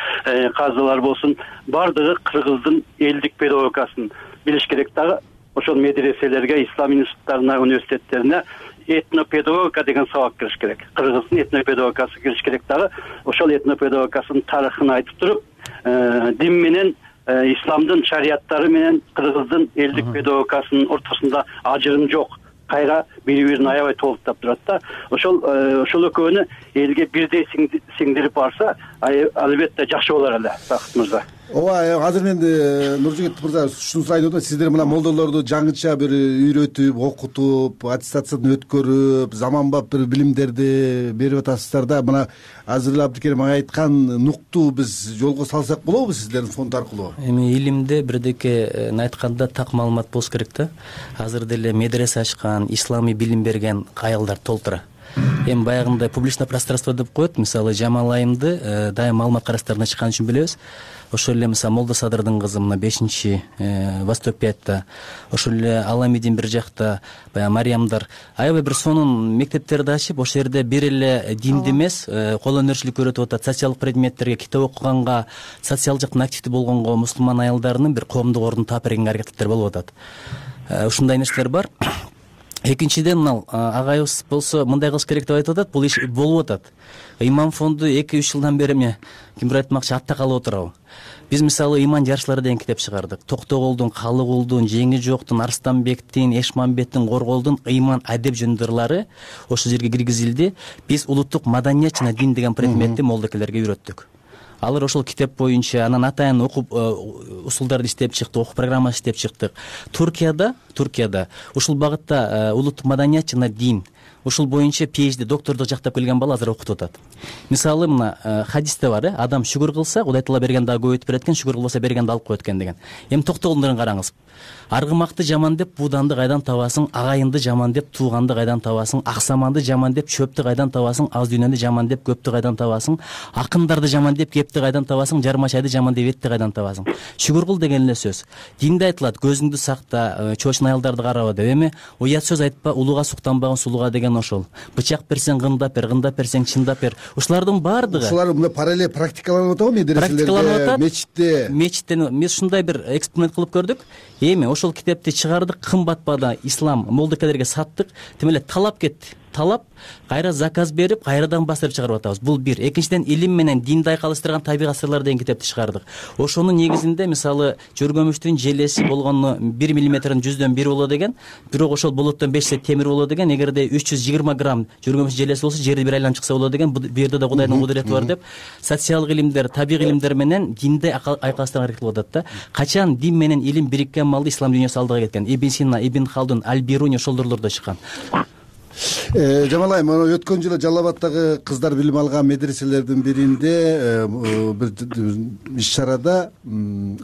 казылар болсун, бардыгы кыргыздын элдик педагогикасын билиш керек дагы. Ошол медреселерге, ислам институттарына, университеттерине этнопедагогика деген сабак кириш керек. Кыргыздын этнопедагогикасы кириш керек дагы. Ошол этнопедагогикасынын тарыхын айтып туруп, дин менен, исламдын шарияттары менен кыргыздын элдик педагогикасынын ортосунда ажырым жок. Кайра бири-бирин аябай толуктап турат да. Ошол экөөнү элге бирдей сиңдирип барса, албетте жакшы болор эле, Бакыт мырза. Ооба, азыр мен Нуржигит мырза ушуну сурайын деп атам. Сиздер мына молдолорду жаңыча бир үйрөтүп, окутуп, аттестациядан өткөрүп, заманбап бир билимдерди берип атасыздар да. Мына азыр эле Абдикерим агай айткан нукту биз жолго салсак болобу сиздердин фонд аркылуу? Эми илимде бирдеке айтканда так маалымат болуш керек да. Азыр деле медресе ачкан, исламий билим берген аялдар толтура. Эми баягындай публичное пространство деп коет. Мисалы Жамал айымды дайым маалымат караштарына чыккан үчүн билебиз. Ошол эле мисалы Молдо Садырдын кызы мына 5-чи Восток 5-та, ошол эле Аламидин бир жакта, баягы Мариямдар аябай бир сонун мектептерди ачып, ошол жерде бир эле динди эмес, кол өнөрчүлүк үйрөтүп атат, социалдык предметтерге, китеп окуганга, социалдык жактан активдүү болгонго мусулман аялдарынын бир коомдук ордун таап берген аракеттер болуп атат. Ушундай нерселер бар. Экинчиден, мына агайыбыз болсо мындай кылыш керек деп айтып атат, бул иш болуп атат. Имам фонду 2-3 жылдан бери кимдир айтмакчы атта калып отурабы. Биз мисалы иман жарышлары деген китеп чыгардык. Токтогулдун, Калыгулдун, Жеңи жоктун, Арстанбектин, Эшмамбеттин, Корголдун иман адеп жөндөрлөрү ошол жерге киргизилди. Биз улуттук маданият жана дин деген предметти молдокелерге үйрөттүк. алар ошол китеп боюнча анан атайын окуп усулдарды иштеп чыктык, окуу программасын иштеп чыктык. Туркияда ушул багытта улуттук маданият жана дин ушул боюнча PhD доктордук жактап келген бала азыр окутуп атат. Мисалы мына хадисте бар, адам шүгүр кылса Кудай Таала берген дагы көбөйтүп берет экен, шүгүр кылбаса бергенди алып коет экен деген. Эми токтогулдарын караңыз. Аргымакты жаман деп бууданды кайдан табасың, агайынды жаман деп тууганды кайдан табасың, аксаманды жаман деп чөптү кайдан табасың, аз дүйнөнү жаман деп көптү кайдан табасың, акындарды жаман деп кепти кайдан табасың, жармачайды жаман деп этти кайдан табасың. Шүгүр кыл деген эле сөз. Динде айтылат, көзүңдү сакта, чоочун аялдарды караба деп. Эми уят сөз айтпа, улууга суктанбагын сулууга деген ошол. Бычак берсең гындап бер, гындап берсең чындап бер. Ушулардын баардыгы ушулар мына параллель практикаланып атабы медреселерде, мечитте мен ушундай бир эксперимент кылып көрдүк. Эми ошол китепти чыгардык, кымбат баада ислам молдокелерге саттык. Тим эле талап кетти. Талап кайра заказ берип, кайрадан бастырып чыгарып атабыз. Бул бир. Экинчиден илим менен динди айкалыштырган табигат сырлар деген китепти чыгардык. Ошонун негизинде мисалы жөргөмүчтүн желеси болгону 1 миллиметрдин 100дөн 1 болот деген, бирок ошол болоттон 5 темир болот деген. Эгерде 320 грамм жөргөмүч желеси болсо жерди бир айланып чыкса болот деген. Бул жерде да Кудайдын кудурети бар деп социалдык илимдер, табигый илимдер менен динди айкалыштырган аракет кылып атат да. Качан дин менен илим бириккен малды ислам дүйнөсү алдыга кеткен. Ибн Сина, Ибн Халдун, Аль-Бируни ошолдорлордо чыккан. Жамал айым, өткөн жылы Жалал Абадтагы кыздар билим алган медреселердин биринде бир иш чарада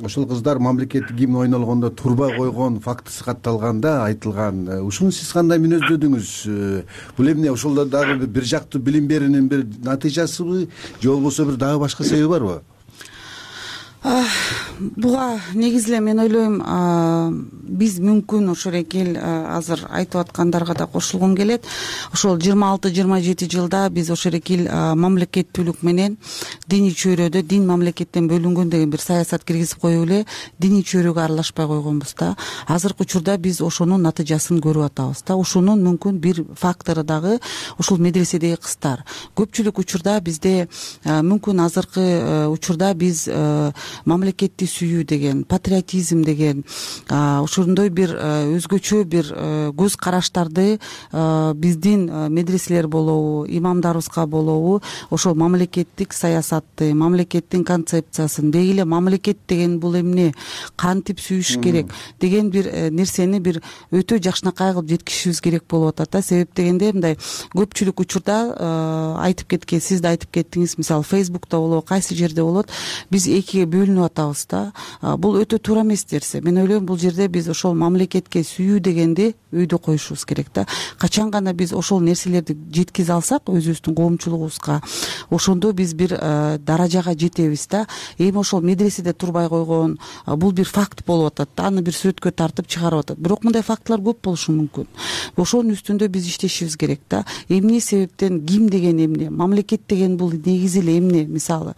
ошол кыздар мамлекеттик гимн ойнолгондо турбай койгон фактысы катталганда айтылган. Ушуну сиз кандай мүнөздөдүңүз? Бул эмне, ошолдо дагы бир жактуу билим берүүнүн бир натыйжасыбы же болбосо бир дагы башка себеби барбы? Буга негизи эле мен ойлойм, биз мүмкүн ошол эки азыр айтып аткандарга да кошулгум келет. Ошол 26-27 жылда биз ошол эки мамлекеттүүлүк менен диний чөйрөдө дин мамлекеттен бөлүнгөн деген бир саясат киргизип коюп эле диний чөйрөгө аралашпай койгонбуз да. Азыркы учурда биз ошонун натыйжасын көрүп атабыз да. Ошонун мүмкүн бир фактору дагы ушул медреседеги кыздар. Көпчүлүк учурда бизде мүмкүн азыркы учурда биз мамлекетти сүйүү деген, патриотизм деген, ошондой бир өзгөчө бир көз караштарды биздин медреселер болобу, имамдарыбызга болобу, ошол мамлекеттик саясатты, мамлекеттин концепциясын, деги эле мамлекет деген бул эмне, кантип сүйүш керек деген бир нерсени бир өтө жакшынакай кылып жеткизишибиз керек болуп атат да. Себеп дегенде мындай көпчүлүк учурда айтып кеткен, сиз да айтып кеттиңиз, мисалы Facebook'та болобу, кайсы жерде болот, биз экиге бөлүнүп атабыз да. Бул өтө туура эмес нерсе. Мен ойлойм, бул жерде биз ошол мамлекетке сүйүү дегенди өйдө коюшубуз керек да. Качан гана биз ошол нерселерди жеткизе алсак өзүбүздүн коомчулугубузга, ошондо биз бир даражага жетебиз да. Эми ошол медреседе турбай койгон бул бир факт болуп атат да. Аны бир сүрөткө тартып чыгарып атат. Бирок мындай фактылар көп болушу мүмкүн. Ошонун үстүндө биз иштешибиз керек да. Эмне себептен гимн деген эмне, мамлекет деген бул негизи эле эмне, мисалы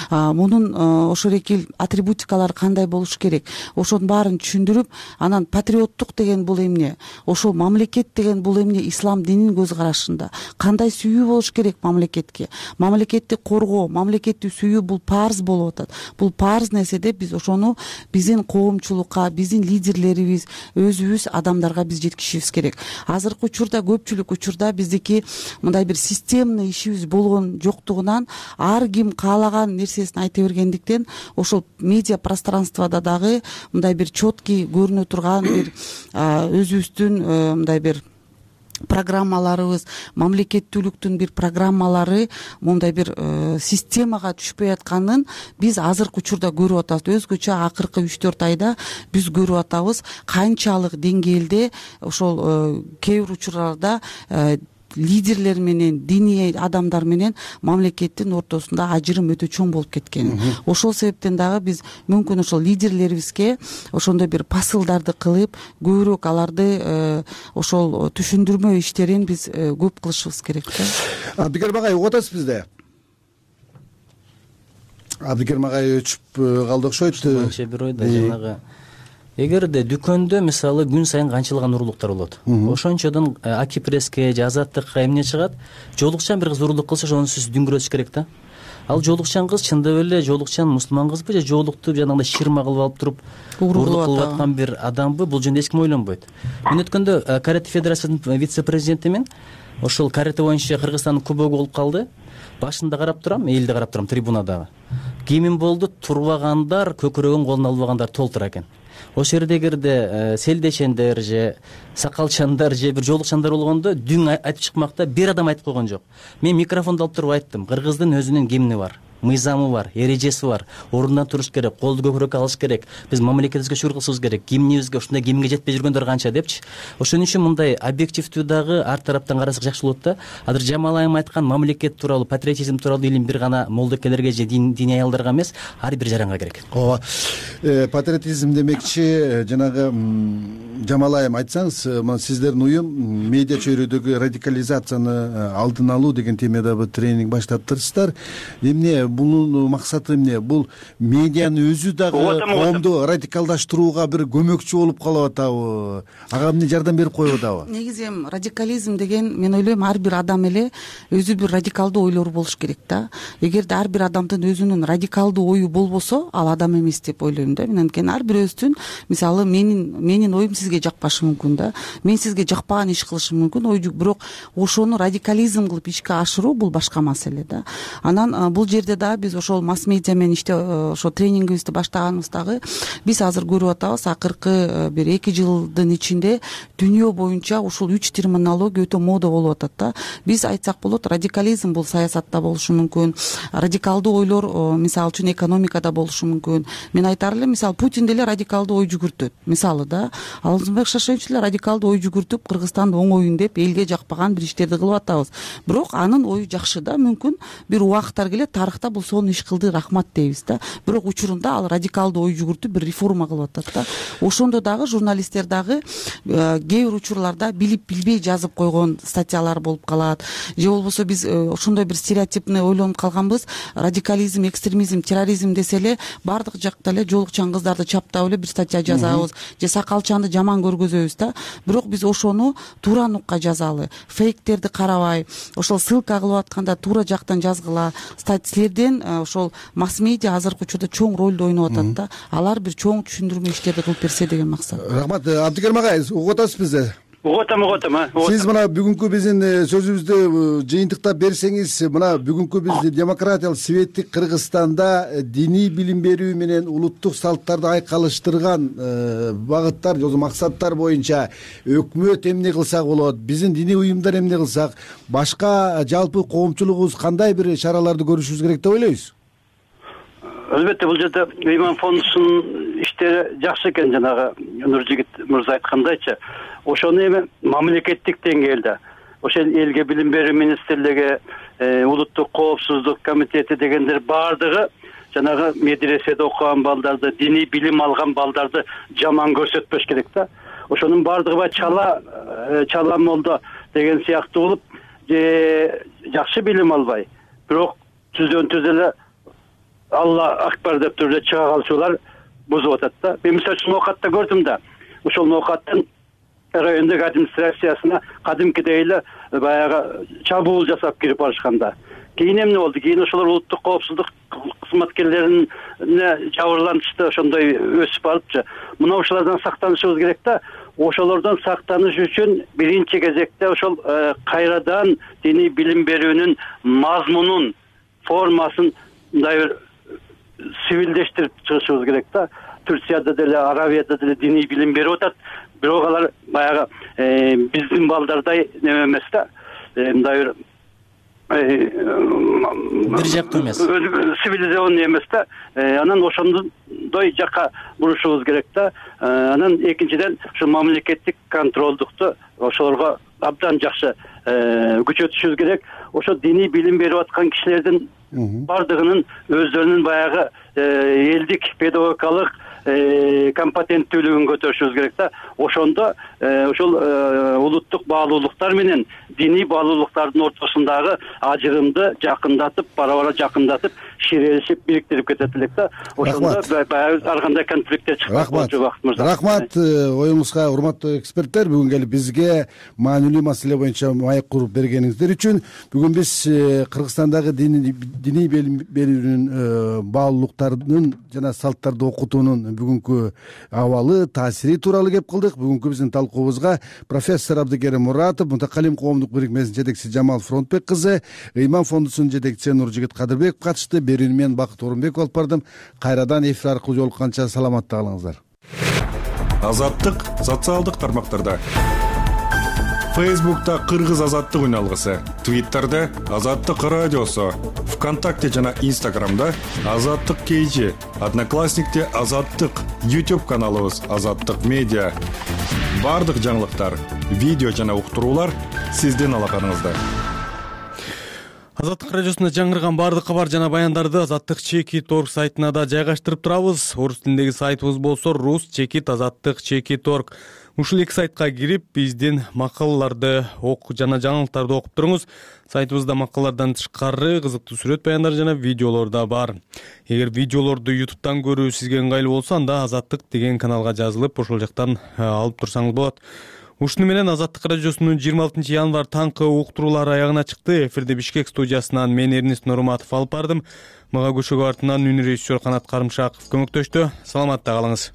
мунун ошол эки атрибутикалары кандай болуш керек, ошонун баарын түшүндүрүп, анан патриоттук деген бул эмне, ошол мамлекет деген бул эмне, ислам дининин көз карашында кандай сүйүү болуш керек мамлекетке, мамлекетти коргоо, мамлекетти сүйүү бул парз болуп атат. Бул парз нерседе биз ошону биздин коомчулукка, биздин лидерлерибиз, өзүбүз адамдарга биз жеткизишибиз керек. Азыркы учурда көпчүлүк учурда биздики мындай бир системный ишибиз болгон жоктугунан ар ким каалаган нерсесин айта бергендиктен ошол медиа пространствода дагы мындай бир четкий көрүнө турган бир өзүбүздүн мындай бир программаларыбыз, мамлекеттүүлүктүн бир программалары мондай бир системага түшпөй атканын биз азыркы учурда көрүп атабыз. Өзгөчө акыркы 3-4 айда биз көрүп атабыз канчалык деңгээлде ошол кээ бир учурларда лидерлер менен, диний адамдар менен мамлекеттин ортосунда ажырым өтө чоң болуп кеткен. Ошол себептен дагы биз мүмкүн ошол лидерлерибизге ошондой бир посылдарды кылып, көбүрөөк аларды ошол түшүндүрмө иштерин биз көп кылышыбыз керек да. Абдикерим агай, угуп атасыз бизде? Абдикерим агай өчүп калды окшойт. Бир ойдо жанагы эгерде дүкөндө мисалы күн сайын канчалаган уруулуктар болот, ошончодон Аки Пресске же Азаттыкка эмне чыгат, жолукчан бир кыз уруулук кылса ошону сиз дүңгүрөтүш керек да. Ал жолукчан кыз чындап эле жолукчан мусулман кызбы же жолуктуп жанагындай ширма кылып алып туруп уруулук кылып аткан бир адамбы, бул жөнүндө эч ким ойлонбойт. Мен өткөндө карате федерациясынын вице-президентимин. Ошол карате боюнча Кыргызстандын кубогу болуп калды. Башында карап турам, элде карап турам, трибунадагы. кийимим болду, турбагандар көкүрөгүн колуна албагандар толтура экен. Ошол жерде эгерде селдешендер же сакалчандар же бир жоолукчандар болгондо дүң айтып чыкмакта бир адам айтып койгон жок. Мен микрофонду алып туруп айттым, кыргыздын өзүнүн гимни бар, мыйзамы бар, эрежеси бар, ордунан туруш керек, колду көкүрөккө алыш керек, биз мамлекетибизге шүгүр кылышыбыз керек, гимнибизге ушундай гимнге жетпей жүргөндөр канча депчи. Ошон үчүн мындай объективдүү дагы ар тараптан карасак жакшы болот да. Азыр Жамал айым айткан мамлекет тууралуу, патриотизм тууралуу илим бир гана молдокелерге же диний аялдарга эмес, ар бир жаранга керек. Ооба, патриотизм демекчи жанагы Жамал айым айтсаңыз, мына сиздердин уюм медиа чөйрөдөгү радикализацияны алдын алуу деген темада бир тренинг баштаптырсыздар. Эмне бунун максаты эмне? Бул медианын өзү дагы коомду радикалдаштырууга бир көмөкчү болуп калып атабы? Ага эмне жардам берип коюп атабы? Негизи радикализм деген, мен ойлойм, ар бир адам эле өзү бир радикалдуу ойлору болуш керек да. Эгерде ар бир адамдын өзүнүн радикалдуу ою болбосо, ал адам эмес деп ойлойм да. Мен анткени ар бирөөбүздүн, мисалы менин оюм сизге жакпашы мүмкүн да. Мен сизге жакпаган иш кылышым мүмкүн, бирок ошону радикализм кылып ишке ашыруу бул башка маселе да. Анан бул жерде да биз ошол масс медиа менен ошо тренингибизди баштаганыбыздагы биз азыр көрүп атабыз, акыркы бир 2 жылдын ичинде дүйнө боюнча ушул 3 терминология өтө мода болуп атат да. Биз айтсак болот, радикализм бул саясатта болушу мүмкүн, радикалдуу ойлор мисалы үчүн экономикада болушу мүмкүн. Мен айтар элем, мисалы Путин деле радикалдуу ой жүгүртөт, мисалы да. Алсынбек Шашевич эле радикалдуу ой жүгүртүп, Кыргызстанды оңоюн деп элге жакпаган бир иштерди кылып атабыз. Бирок анын ою жакшы да, мүмкүн бир убакыттар келет, тарыхта бул сонун иш кылды, рахмат дейбиз да. Бирок учурунда ал радикалдуу ой жүгүртүп бир реформа кылып атат да. Ошондо дагы журналисттер дагы кээ бир учурларда билип билбей жазып койгон статьялар болуп калат. Же болбосо биз ошондой бир стереотипный ойлонуп калганбыз, радикализм, экстремизм, терроризм десе эле баардык жакта эле жоолукчан кыздарды чаптап эле бир статья жазабыз, же сакалчанды жаман көргөзөбүз да. Бирок биз ошону туура нукка жазалы, фейктерди карабай, ошол ссылка кылып атканда туура жактан жазгыла. Силерден ошол масс медиа азыркы учурда чоң ролду ойноп атат да. Алар бир чоң түшүндүрмө иштерди кылып берсе деген максат. Рахмат. Абдыкерим агай, угуп атасыз бизди? Угутам. Сиз мына бүгүнкү биздин сөзүбүздү жыйынтыктап берсеңиз, мына бүгүнкү биз демократиялык светтик Кыргызстанда диний билим берүү менен улуттук салттарды айкалыштырган багыттар, же максаттар боюнча өкмөт эмне кылсак болот, биздин диний уюмдар эмне кылсак, башка жалпы коомчулугубуз кандай бир чараларды көрүшүбүз керек деп ойлойсуз? Албетте, бул жерде Ыйман фондунун иштери жакшы экен, жанагы Нуржигит мырза айткандайчы. Ошону эми мамлекеттик деңгээлде, ошол элге билим берүү министрлиги, улуттук коопсуздук комитети дегендер баардыгы жанагы медреседе окуган балдарды, диний билим алган балдарды жаман көрсөтпөш керек да. Ошонун баардыгы бай чала молдо деген сыяктуу болуп, жакшы билим албай, бирок түздөн түз эле Алла акбар деп туруп чыга калчулар бузуп атат да. Мен мисалы үчүн Ноокатта көрдүм да. Ошол Ноокаттын райондук администрациясына кадимкидей эле баягы чабуул жасап кирип барышканда. Кийин эмне болду? Кийин ошолор улуттук коопсуздук кызматкерлерине жабырланышты, ошондой өсүп барыпчы. Мына ошолордон сактанышыбыз керек да. Ошолордон сактаныш үчүн биринчи кезекте ошол кайрадан диний билим берүүнүн мазмунун, формасын мындай бир сивилдештирип чыгышыбыз керек да. Турцияда деле, Аравияда деле диний билим берип атат, бирок алар баягы биздин балдардай неме эмес да. Мындай бир жактуу эмес, цивилизационный эмес да. Анан ошондой жакка бурушубуз керек да. Анан экинчиден ушу мамлекеттик контролдукту ошолорго абдан жакшы күчөтүшүбүз керек. Ошо диний билим берип аткан кишилердин бардыгынын өздөрүнүн баягы элдик педагогикалык компетенттүүлүгүн көтөрүшүбүз керек да. Ошондо ошол улуттук баалуулуктар менен диний баалуулуктардын ортосундагы ажырымды жакындатып, бара-бара жакындатып, ширелешип, бириктирип кетет элек да. Ошондо баягы ар кандай конфликттер чыкпайт болчу убакыт мырза. Рахмат оюңузга, урматтуу эксперттер. Бүгүн келип бизге маанилүү маселе боюнча маек куруп бергениңиздер үчүн. Бүгүн биз Кыргызстандагы диний билим берүүнүн баалуулуктарынын жана салттарды окутуунун бүгүнкү абалы, таасири тууралуу кеп кылдык. Бүгүнкү биздин талкуубузга профессор Абдыкерим Муратов, Мутакалим коомдук бирикмесинин жетекчиси Жамал Фронтбек кызы, Ыйман фондусунун жетекчиси Нуржигит Кадырбеков катышты. берүүнү мен Бакыт Орунбеков алып бардым. Кайрадан эфир аркылуу жолукканча саламатта калыңыздар. Азаттык социалдык тармактарда. Фейсбукта Кыргыз азаттык үн алгысы, Твиттерде Азаттык радиосу, ВКонтакте жана Инстаграмда Азаттык KG, Одноклассникте Азаттык, YouTube каналыбыз Азаттык медиа. Бардык жаңылыктар, видео жана уктуруулар сиздин алаканыңызда. Азаттык радиосунда жаңырган бардык кабар жана баяндарды Азаттык Чекит.орг сайтына да жайгаштырып турабыз. Орус тилиндеги сайтыбыз болсо Rus Чекит Азаттык Чекит.орг. Ушул эки сайтка кирип, биздин макалаларды жана жаңылыктарды окуп туруңуз. Сайтыбызда макалалардан тышкары кызыктуу сүрөт баяндар жана видеолор да бар. Эгер видеолорду YouTube'дан көрүү сизге ыңгайлуу болсо, анда Азаттык деген каналга жазылып, ошол жактан алып турсаңыз болот. Ушуну менен Азаттык радиосунун 26 январь таңкы уктуруулары аягына чыкты. Эфирде Бишкек студиясынан мен Эрнест Нурматов алып бардым. Мага көшөгө артынан үн режиссер Канат Карымшаков көмөктөштү. Саламатта калыңыз.